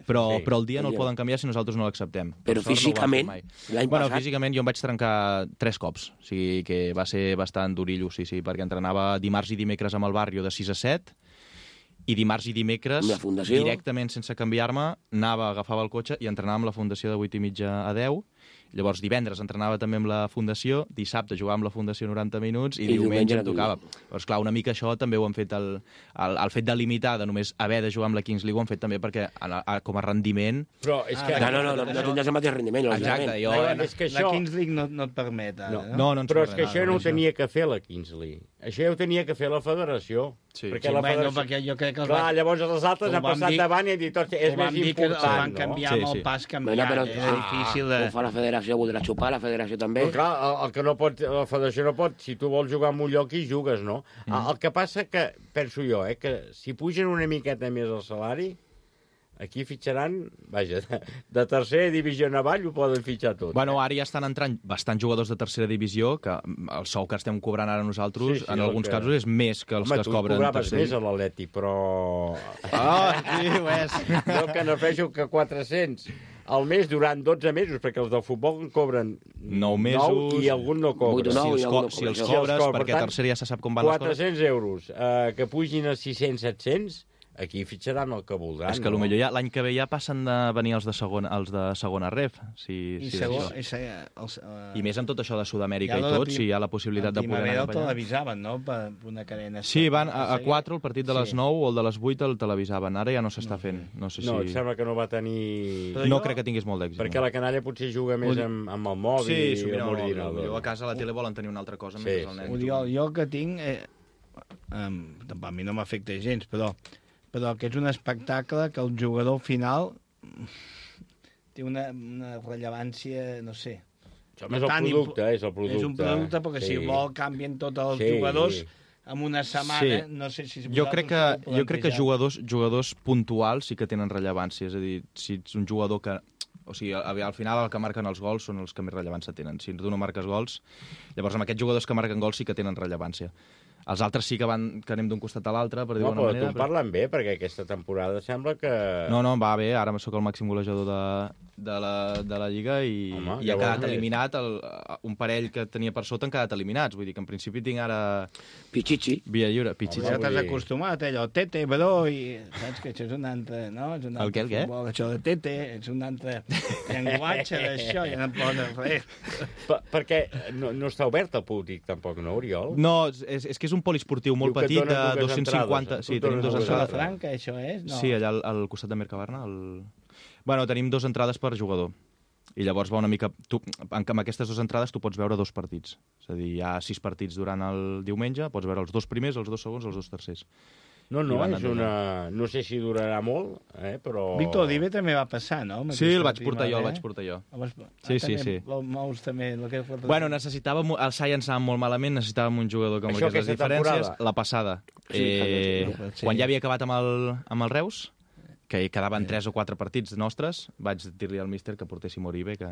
però el dia no el poden canviar si nosaltres no l'acceptem.
Però físicament, l'any passat...
Físicament jo em vaig trencar 3 cops, o sigui que va ser bastant durillo, sí, perquè entrenava dimarts i dimecres amb el Barrio de 6 a 7, i dimarts i dimecres, directament sense canviar-me, agafava el cotxe i entrenava amb la Fundació de 8 i mitja a 10, llavors divendres entrenava també amb la Fundació, dissabte jugava amb la Fundació 90 minuts i diumenge em tocava. Però esclar, una mica això també ho han fet, el fet de limitar, de només haver de jugar amb la Kings League, ho han fet també perquè com a rendiment...
Però és que...
No tindràs el mateix rendiment.
Exacte,
la Kings League no et permet ara, no?
Però és que això no ho tenia que fer la Kings League. Això ja ho tenia que fer la federació.
Perquè la federació... Perquè jo crec que...
Clar, llavors els altres han passat davant i han dit, és més important, no?
Van canviar amb el pas canviar, era difícil de...
Ho fa la federació, voldrà xupar, la federació també.
Però clar, el que no pot, la federació no pot, si tu vols jugar en un lloc hi jugues, no? El que passa que, penso jo, que si pugen una miqueta més el salari, aquí fitxaran, vaja, de tercera divisió en avall ho poden fitxar tot.
Bueno, ara ja estan entrant bastants jugadors de tercera divisió, que el sou que estem cobrant ara nosaltres, en alguns casos, és més que els que es cobren
en tercera. Home, tu cobraves més a l'Atlètic, però...
Sí, ho és.
Jo que no feixo que 400 al mes durant 12 mesos, perquè els del futbol en cobren
9 mesos
9 i algun no cobren.
Si els cobres, perquè a tercera ja se sap com van les coses.
400 euros, que pugin a 600-700, aquí fitxaran el que voldran.
És que potser ja l'any que ve ja passen de venir els de segona ref. I més amb tot això de Sud-amèrica i tot, si hi ha la possibilitat de poder anar
allà. El televisaven, no?, per una cadena.
Sí, van a 4, el partit de les 9 o el de les 8 el televisaven. Ara ja no s'està fent. No,
em sembla que no va tenir...
No crec que tingués molt d'èxit.
Perquè la canalla potser juga més amb el mòbil.
Sí, jo a casa a la tele volen tenir una altra cosa mentre el nen.
Jo que tinc... A mi no m'afecta gens, però que és un espectacle que el jugador final té una rellevància, no sé.
Això és el producte, és el producte.
És un producte, perquè si vol canvien tots els jugadors en una setmana, no sé si...
Jo crec que jugadors puntuals sí que tenen rellevància, és a dir, si ets un jugador que O sigui, al final el que marquen els gols són els que més rellevància tenen. Si tu no marques gols, llavors amb aquests jugadors que marquen gols sí que tenen rellevància. Els altres sí que anem d'un costat a l'altre, per dir-ho d'una manera.
No, però tu en parlen bé, perquè aquesta temporada sembla que...
No, va bé, ara sóc el màxim golejador de la Lliga i ha quedat eliminat, un parell que tenia per sota han quedat eliminats, vull dir que en principi tinc ara...
Pichichi.
Via lliure, Pichichi.
Ja t'has acostumat, allò, tete, bro, i saps que això és un altre, no?
El què?
Això de tete, és un altre llenguatge d'això, ja no poden res.
Perquè no està obert el públic, tampoc, no, Oriol?
No, és que és un poliesportiu molt petit, de 250... Sí, tenim 2 entrades.
Franca, això és?
Sí, allà al costat de Mercabarna. Bueno, tenim 2 entrades per jugador. I llavors va una mica... Amb aquestes 2 entrades tu pots veure 2 partits. És a dir, hi ha 6 partits durant el diumenge, pots veure els 2 primers, els 2 segons, els 2 tercers.
No, és una... No sé si durarà molt, però...
Víctor Odive també va passar, no?
Sí, el vaig portar jo. Sí.
Mous també...
Bueno, necessitàvem... El Science anava molt malament, necessitàvem un jugador com aquestes diferències. La passada. Quan ja havia acabat amb el Reus, que quedaven 3 o 4 partits nostres, vaig dir-li al míster que portéssim Oribe, que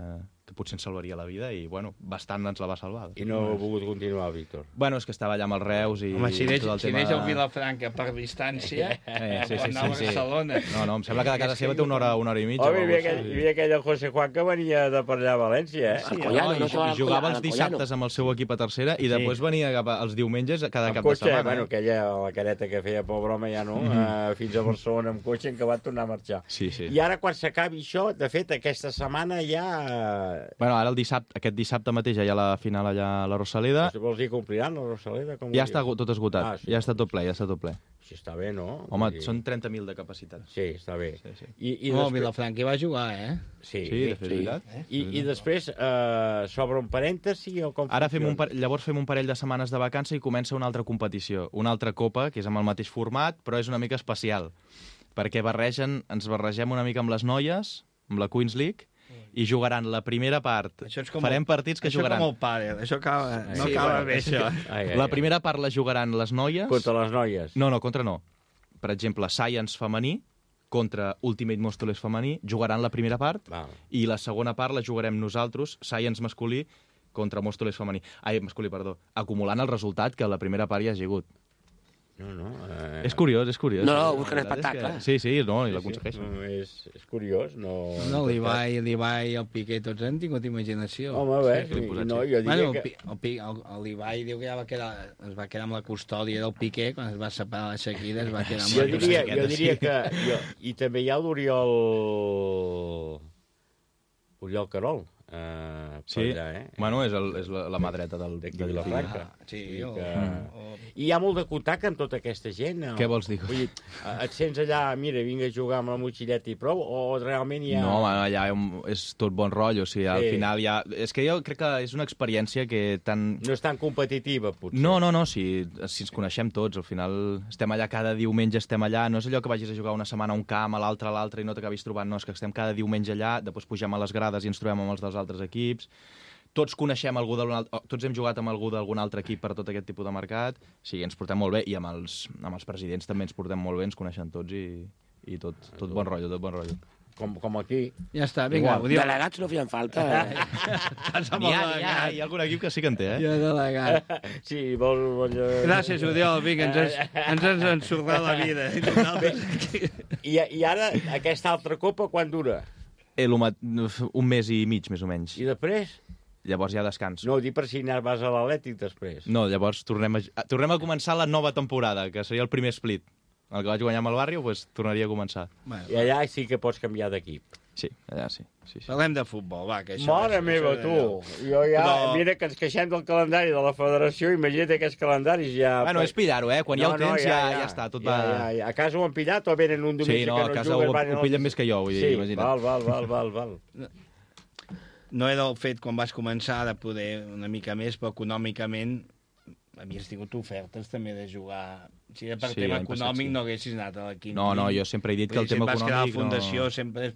potser ens salvaria la vida, i, bueno, bastant ens la va salvar.
I no ha volgut continuar, Víctor?
Bueno, és que estava allà amb els Reus i...
Home, si deixa el Vilafranca per distància, quan anava a Barcelona...
No, em sembla que de casa seva té una hora i mitja.
Home, hi havia aquell José Juan que venia de per allà a València,
Sí, i jugava els dissabtes amb el seu equip a tercera i després venia els diumenges cada cap de setmana.
Bueno, la careta que feia por broma ja no, fins a Barcelona amb cotxe, en què va tornar a marxar.
Sí.
I ara, quan s'acabi això, de fet, aquesta setmana ja...
Bueno, ara aquest dissabte mateix ja hi ha la final allà a la Rosaleda.
Vols dir que ompliran la Rosaleda?
Ja està tot esgotat, ja està tot ple.
Sí, està bé, no?
Home, són 30.000 de capacitat.
Sí, està bé.
Vilafranca hi va jugar,
Sí,
de fet,
I després s'obre un parèntesi o com
ara llavors fem un parell de setmanes de vacança i comença una altra competició, una altra copa, que és amb el mateix format, però és una mica especial, perquè ens barregem una mica amb les noies, amb la Queens League, i jugaran la primera part. Farem partits que jugaran...
Això com el pàdel, això no acaba bé, això.
La primera part la jugaran les noies...
Contra les noies?
No, contra no. Per exemple, Science femení contra Ultimate Móstoles femení jugaran la primera part i la segona part la jugarem nosaltres, Science masculí contra Móstoles femení. Masculí, perdó. Acumulant el resultat que la primera part ja ha sigut.
No.
És curiós.
No, busquen espectacle.
Sí, i l'aconsegueixen.
És curiós, no...
No, l'Ibai i el Piqué, tots han tingut imaginació.
Home, bé, no, jo diria que...
L'Ibai diu que es va quedar amb la custòdia del Piqué, quan es va separar la Shakira, es va quedar amb la custòdia.
Jo diria que... I també hi ha l'Oriol Querol.
Bueno, és la mà dreta de
Vilafranca. I hi ha molt de contacte amb tota aquesta gent?
Què vols dir?
Vull dir, et sents allà, mira, vinc a jugar amb la motxilleta i prou, o realment hi ha...
No, allà és tot bon rotllo, o sigui, al final hi ha... És que jo crec que és una experiència que tan...
No és tan competitiva, potser.
No, si ens coneixem tots, al final estem allà cada diumenge, no és allò que vagis a jugar una setmana a un camp, a l'altre i no t'acabis trobant, no, és que estem cada diumenge allà, després pugem a les grades i ens trobem amb els dels altres equips, tots coneixem algú tots hem jugat amb algú d'algun altre equip per tot aquest tipus de mercat, sí, ens portem molt bé, i amb els presidents també ens portem molt bé, ens coneixen tots i tot bon rotllo.
Com aquí.
Ja està, vinga.
Delegats no feien falta.
Hi ha algun equip que sí que en té,
Jo delegat.
Sí, vols...
Gràcies, Oriol, vinga, ens has ensordat la vida.
I ara, aquesta altra copa, quan dura?
Un mes i mig, més o menys.
I després?
Llavors hi ha descans.
No, dic per si vas a l'Atlètic després.
No, llavors tornem a començar la nova temporada, que seria el primer split. El que vaig guanyar amb el Barrio, tornaria a començar.
I allà sí que pots canviar d'equip.
Sí, allà sí.
Parlem de futbol, va, que això...
Mare meva, tu! Mira que ens queixem del calendari de la federació, imagina't aquests calendaris ja...
Bueno, és pillar-ho, quan hi ha el temps ja està, tot va...
A casa ho han pillat o venen un diumenge que no juguen?
Sí, a casa ho pillen més que jo, vull dir, imagina't.
Val.
No era el fet, quan vas començar, de poder una mica més, però econòmicament havies tingut ofertes també de jugar... Si per tema econòmic no haguessis anat a la quinta.
No, jo sempre he dit que el tema econòmic...
Vas quedar a la fundació, sempre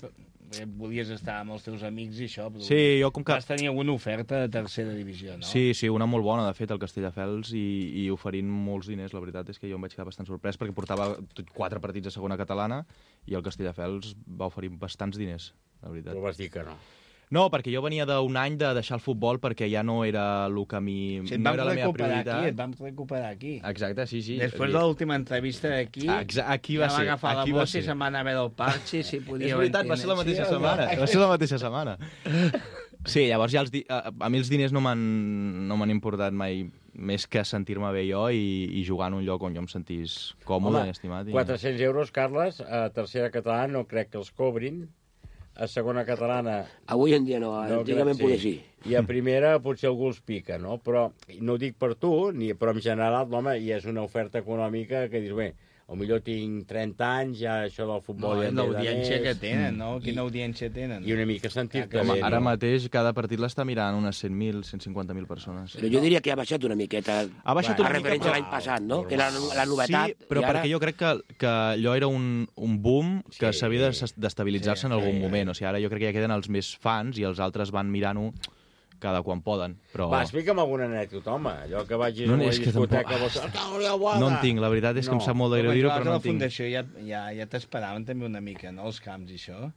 volies estar amb els teus amics i això, però
sí, jo com que...
vas tenir alguna oferta de tercera divisió, no?
Sí, una molt bona, de fet, al Castelldefels, i oferint molts diners. La veritat és que jo em vaig quedar bastant sorprès, perquè portava 4 partits a segona catalana, i el Castelldefels va oferir bastants diners. la veritat.
Però vas dir que no.
No, perquè jo venia d'un any de deixar el futbol perquè ja no era el que a mi...
Sí,
no era la meva prioritat.
Et vam recuperar aquí.
Exacte, sí.
Després de l'última entrevista aquí,
aquí va ser.
Ja va agafar la bossa i se'n va anar a veure el parxe, si podia...
És veritat, va ser la mateixa setmana. Va ser la mateixa setmana. Sí, llavors ja a mi els diners no m'han importat mai més que sentir-me bé jo i jugar en un lloc on jo em sentís còmode i estimat.
400 euros, Carles, a tercera catalana no crec que els cobrin. A segona catalana...
Avui en dia no, antigament poder sí.
I a primera potser algú els pica, no? Però no ho dic per tu, però en general, home, i és una oferta econòmica que dius, bé, potser tinc 30 anys, ja això del futbol...
No, l'audiència que tenen, no? Quina audiència tenen?
I una mica sentir-te
bé. Ara mateix cada partit l'està mirant unes 100.000, 150.000 persones.
Però jo diria que ha baixat una miqueta.
Ha baixat una mica,
referència a l'any passat, no? Que era la novetat.
Sí, però perquè jo crec que allò era un boom que s'havia d'estabilitzar-se en algun moment. O sigui, ara jo crec que ja queden els més fans i els altres van mirant-ho cada quan poden, però...
Va, explica'm alguna anècdota, home. Allò que vagis a una discoteca...
No en tinc, la veritat és que em sap molt de greu dir-ho, però no en tinc.
A la Fundació ja t'esperaven també una mica, no?, els camps i això.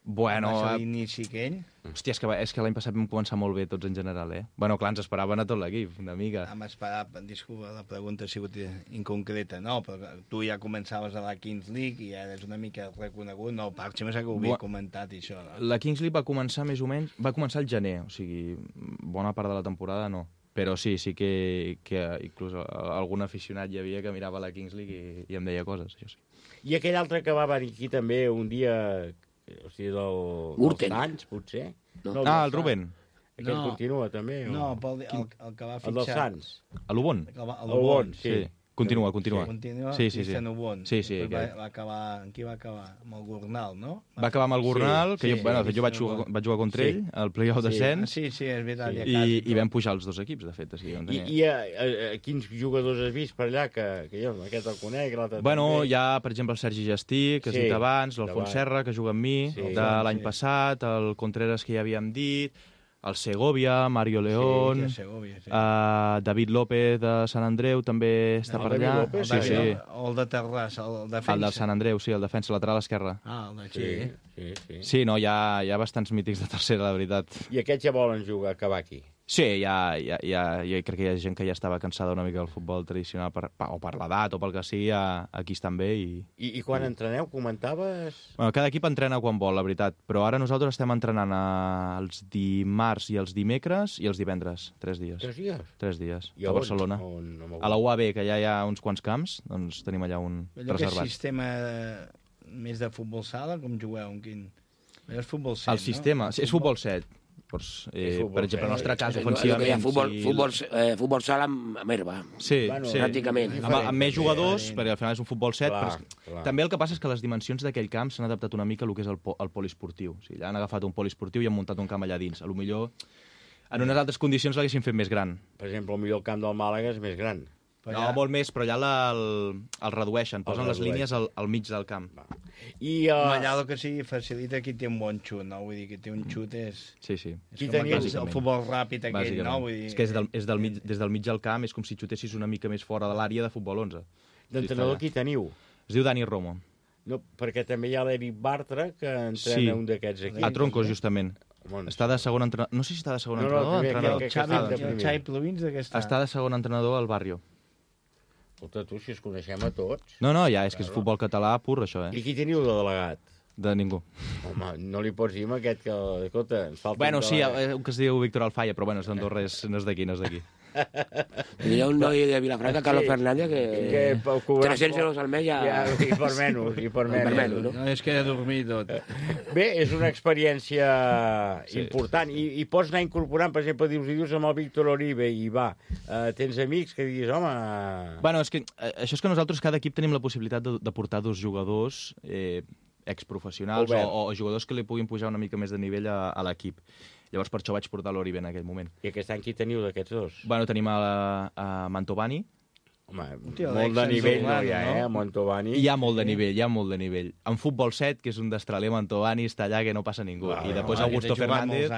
Bueno...
l'inici aquell.
Hòstia, és que l'any passat vam començar molt bé tots en general, eh? Bueno, clar, ens esperaven a tot l'equip, una mica.
Disculpa, la pregunta ha sigut inconcreta, no? Però tu ja començaves a la Kings League i ja eres una mica reconegut, no? Parche, m'ha que ho havia comentat, això. No?
La Kings League va començar més o menys... Va començar al gener, o sigui, bona part de la temporada no. Però sí que inclús algun aficionat hi havia que mirava la Kings League i em deia coses, això sí.
I aquell altre que va venir aquí també un dia... O sigui, dels Sants, potser?
No, el Rubén.
Aquest continua, també?
No, el que va fitxar...
El dels Sants.
A l'Ubon?
A l'Ubon,
sí. Continua.
Sí. En Ubon.
Sí.
Va acabar... Amb qui va acabar? Amb el Gornal, no?
Va acabar amb el Gornal, que jo vaig jugar contra ell, al play-off descens.
Sí, és veritat.
I vam pujar els dos equips, de fet.
I quins jugadors has vist per allà? Que jo, aquest el conec, l'altre...
Bueno, hi ha, per exemple, el Sergi Gestí, que has dit abans, l'Alfons Serra, que juga amb mi, de l'any passat, el Contreras, que ja havíem dit... El Segovia, Mario León, David López de Sant Andreu també està per allà.
O el de Terrassa, el defensa.
El del Sant Andreu, sí, el defensa lateral esquerre.
El de
Sí, no, hi ha bastants mítics de tercera, la veritat.
I aquests ja volen jugar, acabar aquí?
Sí, jo crec que hi ha gent que ja estava cansada una mica del futbol tradicional, o per l'edat o pel que sigui, aquí estan bé.
I quan entreneu, comentaves?
Bueno, cada equip entrena quan vol, la veritat, però ara nosaltres estem entrenant els dimarts i els dimecres i els divendres, 3 dies.
3 dies?
3 dies, a Barcelona. A la UAB, que ja hi ha uns quants camps, doncs tenim allà un reservat.
Aquest sistema més de futbol sala, com jugueu? És futbol 7,
el sistema, és futbol 7. Per exemple, el nostre cas, ofensivament...
Futbol sala amb herba, pràcticament.
Amb més jugadors, perquè al final és un futbol 7. També el que passa és que les dimensions d'aquell camp s'han adaptat una mica al que és el poliesportiu. O sigui, han agafat un poliesportiu i han muntat un camp allà dins. A lo millor, en unes altres condicions l'haguessin fet més gran.
Per exemple, el camp del Màlaga és més gran.
No, molt més, però allà el redueixen, posen les línies al mig del camp.
Allà el que sigui facilita qui té un bon xut, no? Vull dir, que té un xut és...
Sí.
És com el futbol ràpid aquell, no?
És que des del mig del camp és com si xutessis una mica més fora de l'àrea de futbol 11.
D'entrenador qui teniu?
Es diu Dani Romo.
No, perquè també hi ha l'Eric Bartra, que entrena un d'aquests equips.
A Troncos, justament. Està de segon entrenador... No sé si està de segon entrenador.
El Xavi Plovins d'aquesta...
Està de segon entrenador al Barrio.
Escolta, tu, si es coneixem a tots...
No, ja, és que és futbol català pur, això,
I qui teniu de delegat?
De ningú.
Home, no li pots dir amb aquest que... Escolta, ens falta...
Bueno, sí, un que es diu Víctor Alfaya, però bueno, és d'Andorra, no és d'aquí.
Hi ha un noi de Vilafranca, Carlos Fernández, que 300 euros al mes ja...
I per menys.
No, és que he dormit tot.
Bé, és una experiència important. I pots anar incorporant, per exemple, dius amb el Víctor Oribe i tens amics que diguis, home...
Bueno, és que això és que nosaltres, cada equip, tenim la possibilitat de portar 2 jugadors exprofessionals o jugadors que li puguin pujar una mica més de nivell a l'equip. Llavors per això vaig portar l'Oribe en aquell moment.
I aquest any qui teniu d'aquests dos?
Bueno, tenim a Mantovani.
Home, molt de nivell no hi ha, a Mantovani.
Hi ha molt de nivell. En futbol 7, que és un destraler, Mantovani està allà que no passa ningú. I després Augusto Fernández.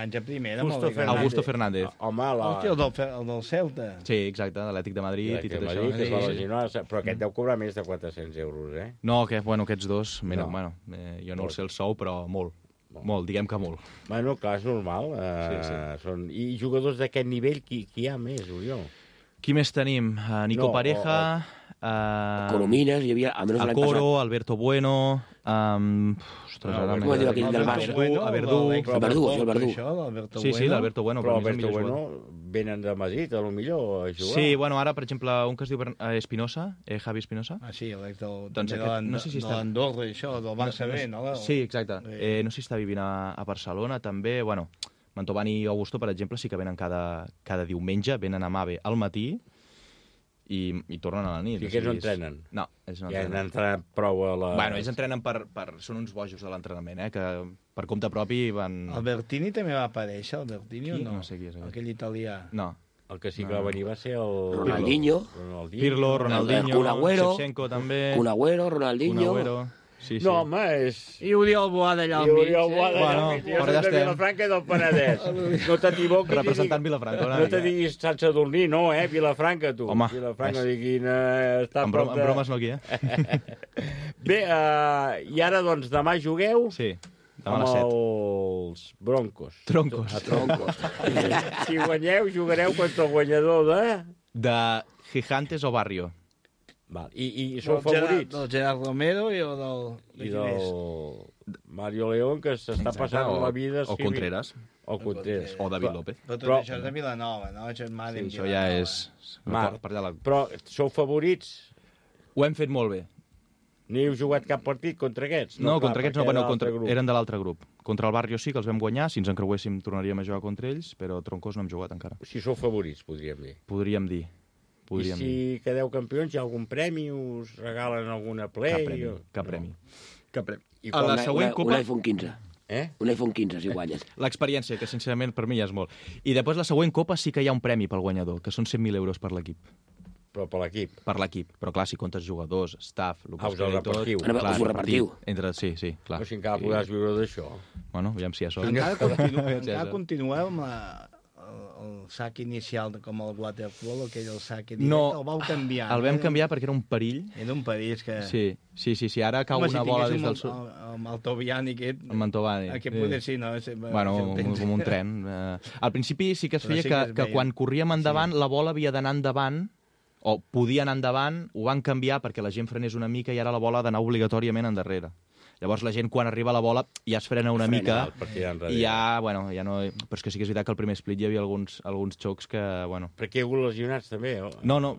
Augusto Fernández.
Home,
el del Celta.
Sí, exacte, de l'Atlètic de Madrid i tot això.
Que es va lesionar, però aquest deu cobrar més de 400 euros, eh?
No, aquests dos, jo no el sé el sou, però molt. Molt, diguem que molt.
Bueno, clar, és normal. I jugadors d'aquest nivell, qui hi ha més, Oriol?
Qui més tenim? Nico Pareja...
Coromines, hi havia...
El Coro, Alberto Bueno... Ostres, ara...
Com diu aquell del Barça?
El Verdú. Sí, l'Alberto Bueno.
Però Alberto Bueno venen de Madrid, a lo millor, a jugar.
Sí, bueno, ara, per exemple, un que es diu Espinosa, Javi Espinosa.
Ah, sí,
doncs no sé si està...
L'Andorra, això, del Barça B, no?
Sí, exacte. No sé si està vivint a Barcelona, també. Bueno, Mantovani i Augusto, per exemple, sí que venen cada diumenge, venen a Mave al matí, i tornen a la nit.
I aquests no entrenen?
No, ells no
entrenen. Ja
entrenen.
han entrenat prou a la...
Bueno, ells entrenen són uns bojos de l'entrenament, que per compte propi van...
El Bertini també va aparèixer, el Bertini o no?
No sé qui és.
Aquell italià.
No.
El que sí que va venir va ser el...
Ronaldinho.
Pirlo, Ronaldinho, Shevchenko també...
Kun Agüero, Ronaldinho...
Sí. No, home, és...
I Oriol Boada allà al mig.
I Oriol Boada allà al mig. Jo soc de Vilafranca i del Penedès. No t'equivoquis.
Representant Vilafranca.
No te diguis Sant Sadurní, no, Vilafranca, tu.
Home.
Vilafranca, diguin... En
bromes no aquí,
Bé, i ara, doncs, demà jugueu...
Sí, demà a les 7.
Amb els Broncos.
Troncos.
Si guanyeu, jugareu contra el guanyador de...
De Gigantes o Barrio.
Val. I sou favorits?
Del Gerard Romero i
del Mario León, que s'està passant la vida...
O Contreras.
O Contreras.
O David López.
Però això és de Vilanova, no? Això
ja és...
Però sou favorits?
Ho hem fet molt bé.
Ni heu jugat cap partit contra aquests?
No, contra aquests no, eren de l'altre grup. Contra el Barrio sí que els vam guanyar, si ens encreuéssim tornaríem a jugar contra ells, però Troncos no hem jugat encara.
Si sou favorits, podríem dir.
Podríem dir.
I si quedeu campions, hi ha algun premi? Us regalen alguna play?
Cap premi.
A la següent Copa... Un iPhone 15. Un iPhone 15, si guanyes.
L'experiència, que sincerament per mi ja és molt. I després la següent Copa sí que hi ha un premi pel guanyador, que són 100.000 euros per l'equip.
Però per l'equip?
Per l'equip. Però clar, si comptes jugadors, staff...
Us el repartiu.
Clar,
us ho repartiu.
Sí, clar.
Però si encara podràs viure d'això.
Bueno, aviam si hi ha sort.
Encara continueu amb el sac inicial com el waterpolo, aquell el sac directe, el vau canviar.
El vam canviar perquè era un perill.
Era un perill, és que...
Sí, ara cau una bola des del sud.
Amb el Tobiani aquest...
El Mantovani.
Aquest poder sí, no?
Bueno, com un tren. Al principi sí que es feia que quan corríem endavant, la bola havia d'anar endavant, o podia anar endavant, ho van canviar perquè la gent frenés una mica i ara la bola ha d'anar obligatòriament endarrere. Llavors la gent, quan arriba a la bola, ja es frena una mica i ja no... Però és que sí que és veritat que al primer split hi havia alguns xocs que, bueno...
Perquè hi ha hagut lesionats, també?
No,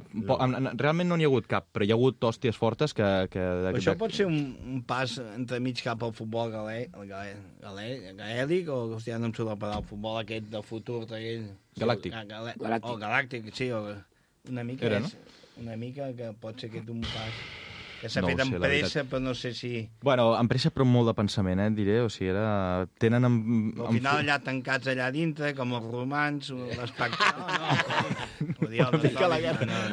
realment no n'hi ha hagut cap, però hi ha hagut hòsties fortes que...
Això pot ser un pas entremig cap al futbol gaèlic, o, hòstia, no em surt la paraula, el futbol aquest del futur,
galàctic.
O galàctic, sí, una mica
era, no?
Una mica que pot ser aquest un pas... Que s'ha fet amb pressa, però no sé si...
Bueno, amb pressa, però molt de pensament, diré. O sigui, tenen...
Al final allà tancats allà dintre, com els romans, l'espectacle...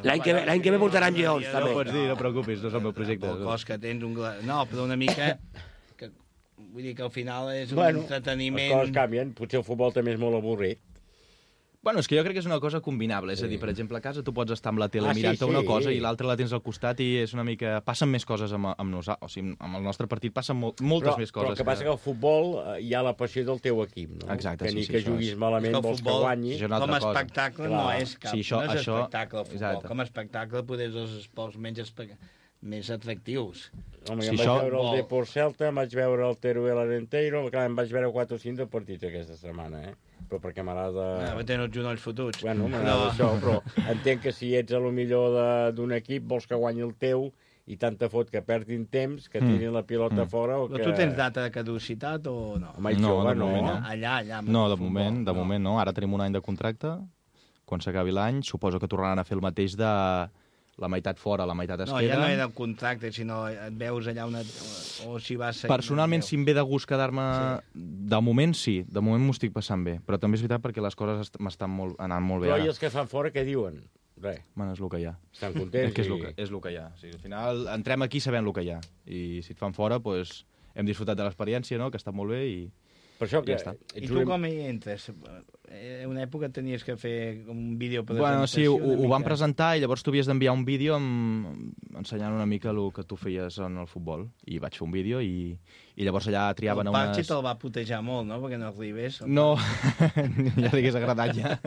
L'any que ve portaran lleons, també.
No pots dir, no preocupis, no és el meu projecte.
El cos que tens un... No, però una mica... Vull dir que al final és un entreteniment...
Les coses canvien, potser el futbol també és molt avorrit.
Bueno, és que jo crec que és una cosa combinable, és a dir, per exemple, a casa tu pots estar amb la tele mirant una cosa i l'altra la tens al costat i és una mica... Passen més coses amb nosaltres, o sigui, amb el nostre partit passen moltes més coses.
Però el que passa que al futbol hi ha la passió del teu equip, no?
Exacte,
que ni que juguis malament vols que guanyis.
Com a espectacle no és cap, no és espectacle el futbol. Com a espectacle poder ser els esports més atractius.
Home, jo em vaig veure el Depor Celta, em vaig veure el Teruel Arenteiro, clar, em vaig veure 4 o 5 de partits aquesta setmana, però perquè m'agrada...
Tenen els genolls fotuts.
Bueno, m'agrada això, però entenc que si ets a lo millor d'un equip, vols que guanyi el teu i tant te fot que perdin temps, que tirin la pilota fora o que...
Però tu tens data de caducitat o no?
No, de moment no.
Allà.
No, de moment no. Ara tenim un any de contracte. Quan s'acabi l'any, suposo que tornaran a fer el mateix de... La meitat fora, la meitat es queda...
No, ja no era el contracte, sinó et veus allà o si vas...
Personalment, si em ve de gust quedar-me... Sí. De moment, sí. De moment m'ho estic passant bé. Però també és veritat perquè les coses m'estan anant molt bé
ara.
Però
i els que fan fora, què diuen? Res.
Bueno, és el que hi ha.
Estan contents?
És el que hi ha. O sigui, al final, entrem aquí sabent el que hi ha. I si et fan fora, doncs, hem disfrutat de l'experiència, no?, que està molt bé i
Per això que...
I tu com hi entres? En una època tenies que fer un vídeo presentació...
Bueno, sí, ho vam presentar i llavors tu havies d'enviar un vídeo ensenyant una mica el que tu feies en el futbol. I vaig fer un vídeo i llavors allà triaven
unes... El Parchi te'l va putejar molt, no?, perquè no arribés.
No, ja li hagués agradat ja.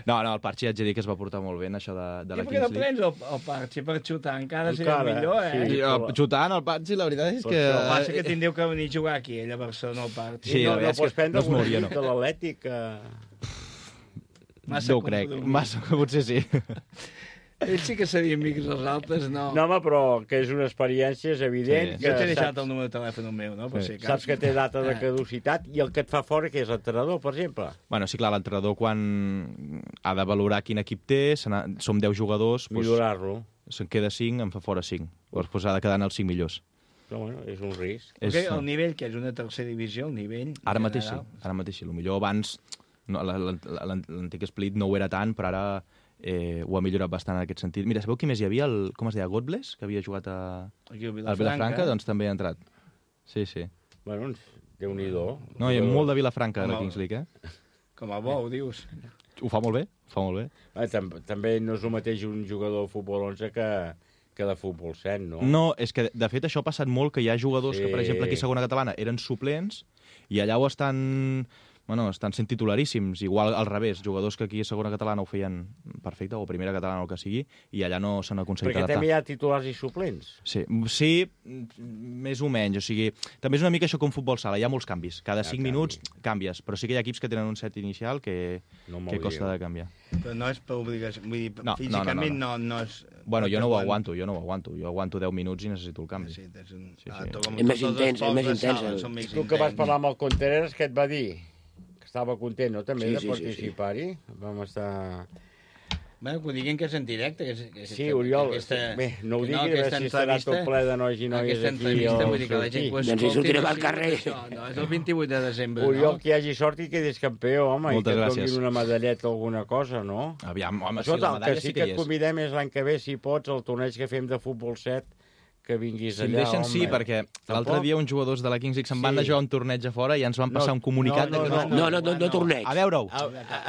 No, el Parchi haig de dir que es va portar molt bé en això de la Kings League.
I per què no prens el Parchi per xutar? Encara seria millor, eh?
Sí, xutant el Parchi, la veritat és que...
El passa que tindreu que venir a jugar aquí, ell a Barcelona, el Parchi.
Sí, la veritat és que no es mouria, no.
De l'Atlètic...
No ho crec, massa, potser sí.
Ells sí que serien amics, els altres no.
No, home, però que és una experiència, és evident.
Jo t'he deixat el número de telèfon meu, no?
Saps que té data de caducitat i el que et fa fora, que és l'entrenador, per exemple.
Bueno, sí, clar, l'entrenador quan ha de valorar quin equip té, som 10 jugadors...
Millorar-lo.
Se'n queda 5, en fa fora 5. Llavors ha de quedar en els 5 millors.
Però bueno, és un risc.
El nivell, que és una tercera divisió, el nivell...
Ara mateix sí, Potser abans l'antic Split no ho era tant, però ara... ho ha millorat bastant en aquest sentit. Mira, sabeu qui més hi havia? Com es deia? Godbless, que havia jugat al Vilafranca, doncs també ha entrat. Sí.
Bueno, Déu-n'hi-do.
No, hi ha molt de Vilafranca a la Kings League, eh?
Com a bo, ho dius.
Ho fa molt bé,
També no és el mateix un jugador de futbol 11 que de futbol 7, no?
No, és que de fet això ha passat molt, que hi ha jugadors que, per exemple, aquí a segona catalana eren suplents i allà ho estan sent titularíssims, igual al revés, jugadors que aquí a segona catalana ho feien perfecte, o primera catalana o el que sigui, i allà no s'han aconseguit adaptar.
Perquè també hi ha titulars i suplents.
Sí, més o menys, o sigui, també és una mica això com futbol sala, hi ha molts canvis, cada 5 minuts canvies, però sí que hi ha equips que tenen un set inicial que costa de canviar.
Però no és per obligació, vull dir, físicament no és...
Bueno, jo no ho aguanto, jo aguanto 10 minuts i necessito el canvi.
És més intens.
Tu que vas parlar amb el Contreras, què et va dir? Estava content, no?, també, de participar-hi. Vam estar...
Bé, que ho diguin que és en directe.
Sí, Oriol, bé, no ho digui, a veure si estarà tot ple de nois i noies aquí.
Aquesta entrevista, vull dir que la gent...
Doncs hi sortirem al carrer.
No, és el 28 de desembre,
Oriol, que hi hagi sort i quedis campió, home, i que et donin una medalleta o alguna cosa, no?
Aviam, home, sí, la medalla sí que hi és.
El que sí que et convidem és l'any que ve, si pots, el torneig que fem de futbol 7, que vinguis allà,
home. Si em deixen, sí, perquè l'altre dia uns jugadors de la Kings League se'n van a jugar un torneig a fora i ens van passar un comunicat...
No torneig.
A veure-ho.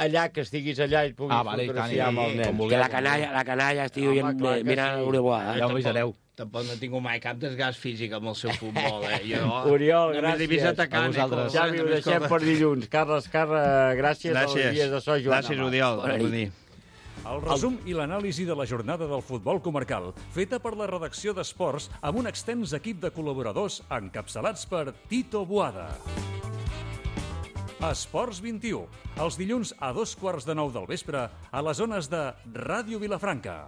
Allà, que estiguis allà i et puguis fotografiar amb el nen.
Que la canalla estigui mirant Uruguai.
Ja ho avisareu.
Tampoc no tinc mai cap desgast físic amb el seu futbol,
Oriol, gràcies. Xavi, ho deixem per dilluns. Carles, gràcies als dies de so, Joan.
Gràcies, Oriol.
El resum i l'anàlisi de la jornada del futbol comarcal, feta per la redacció d'Esports amb un extens equip de col·laboradors encapçalats per Tito Boada. Esports 21, els dilluns a 2:15 del vespre a les zones de Ràdio Vilafranca.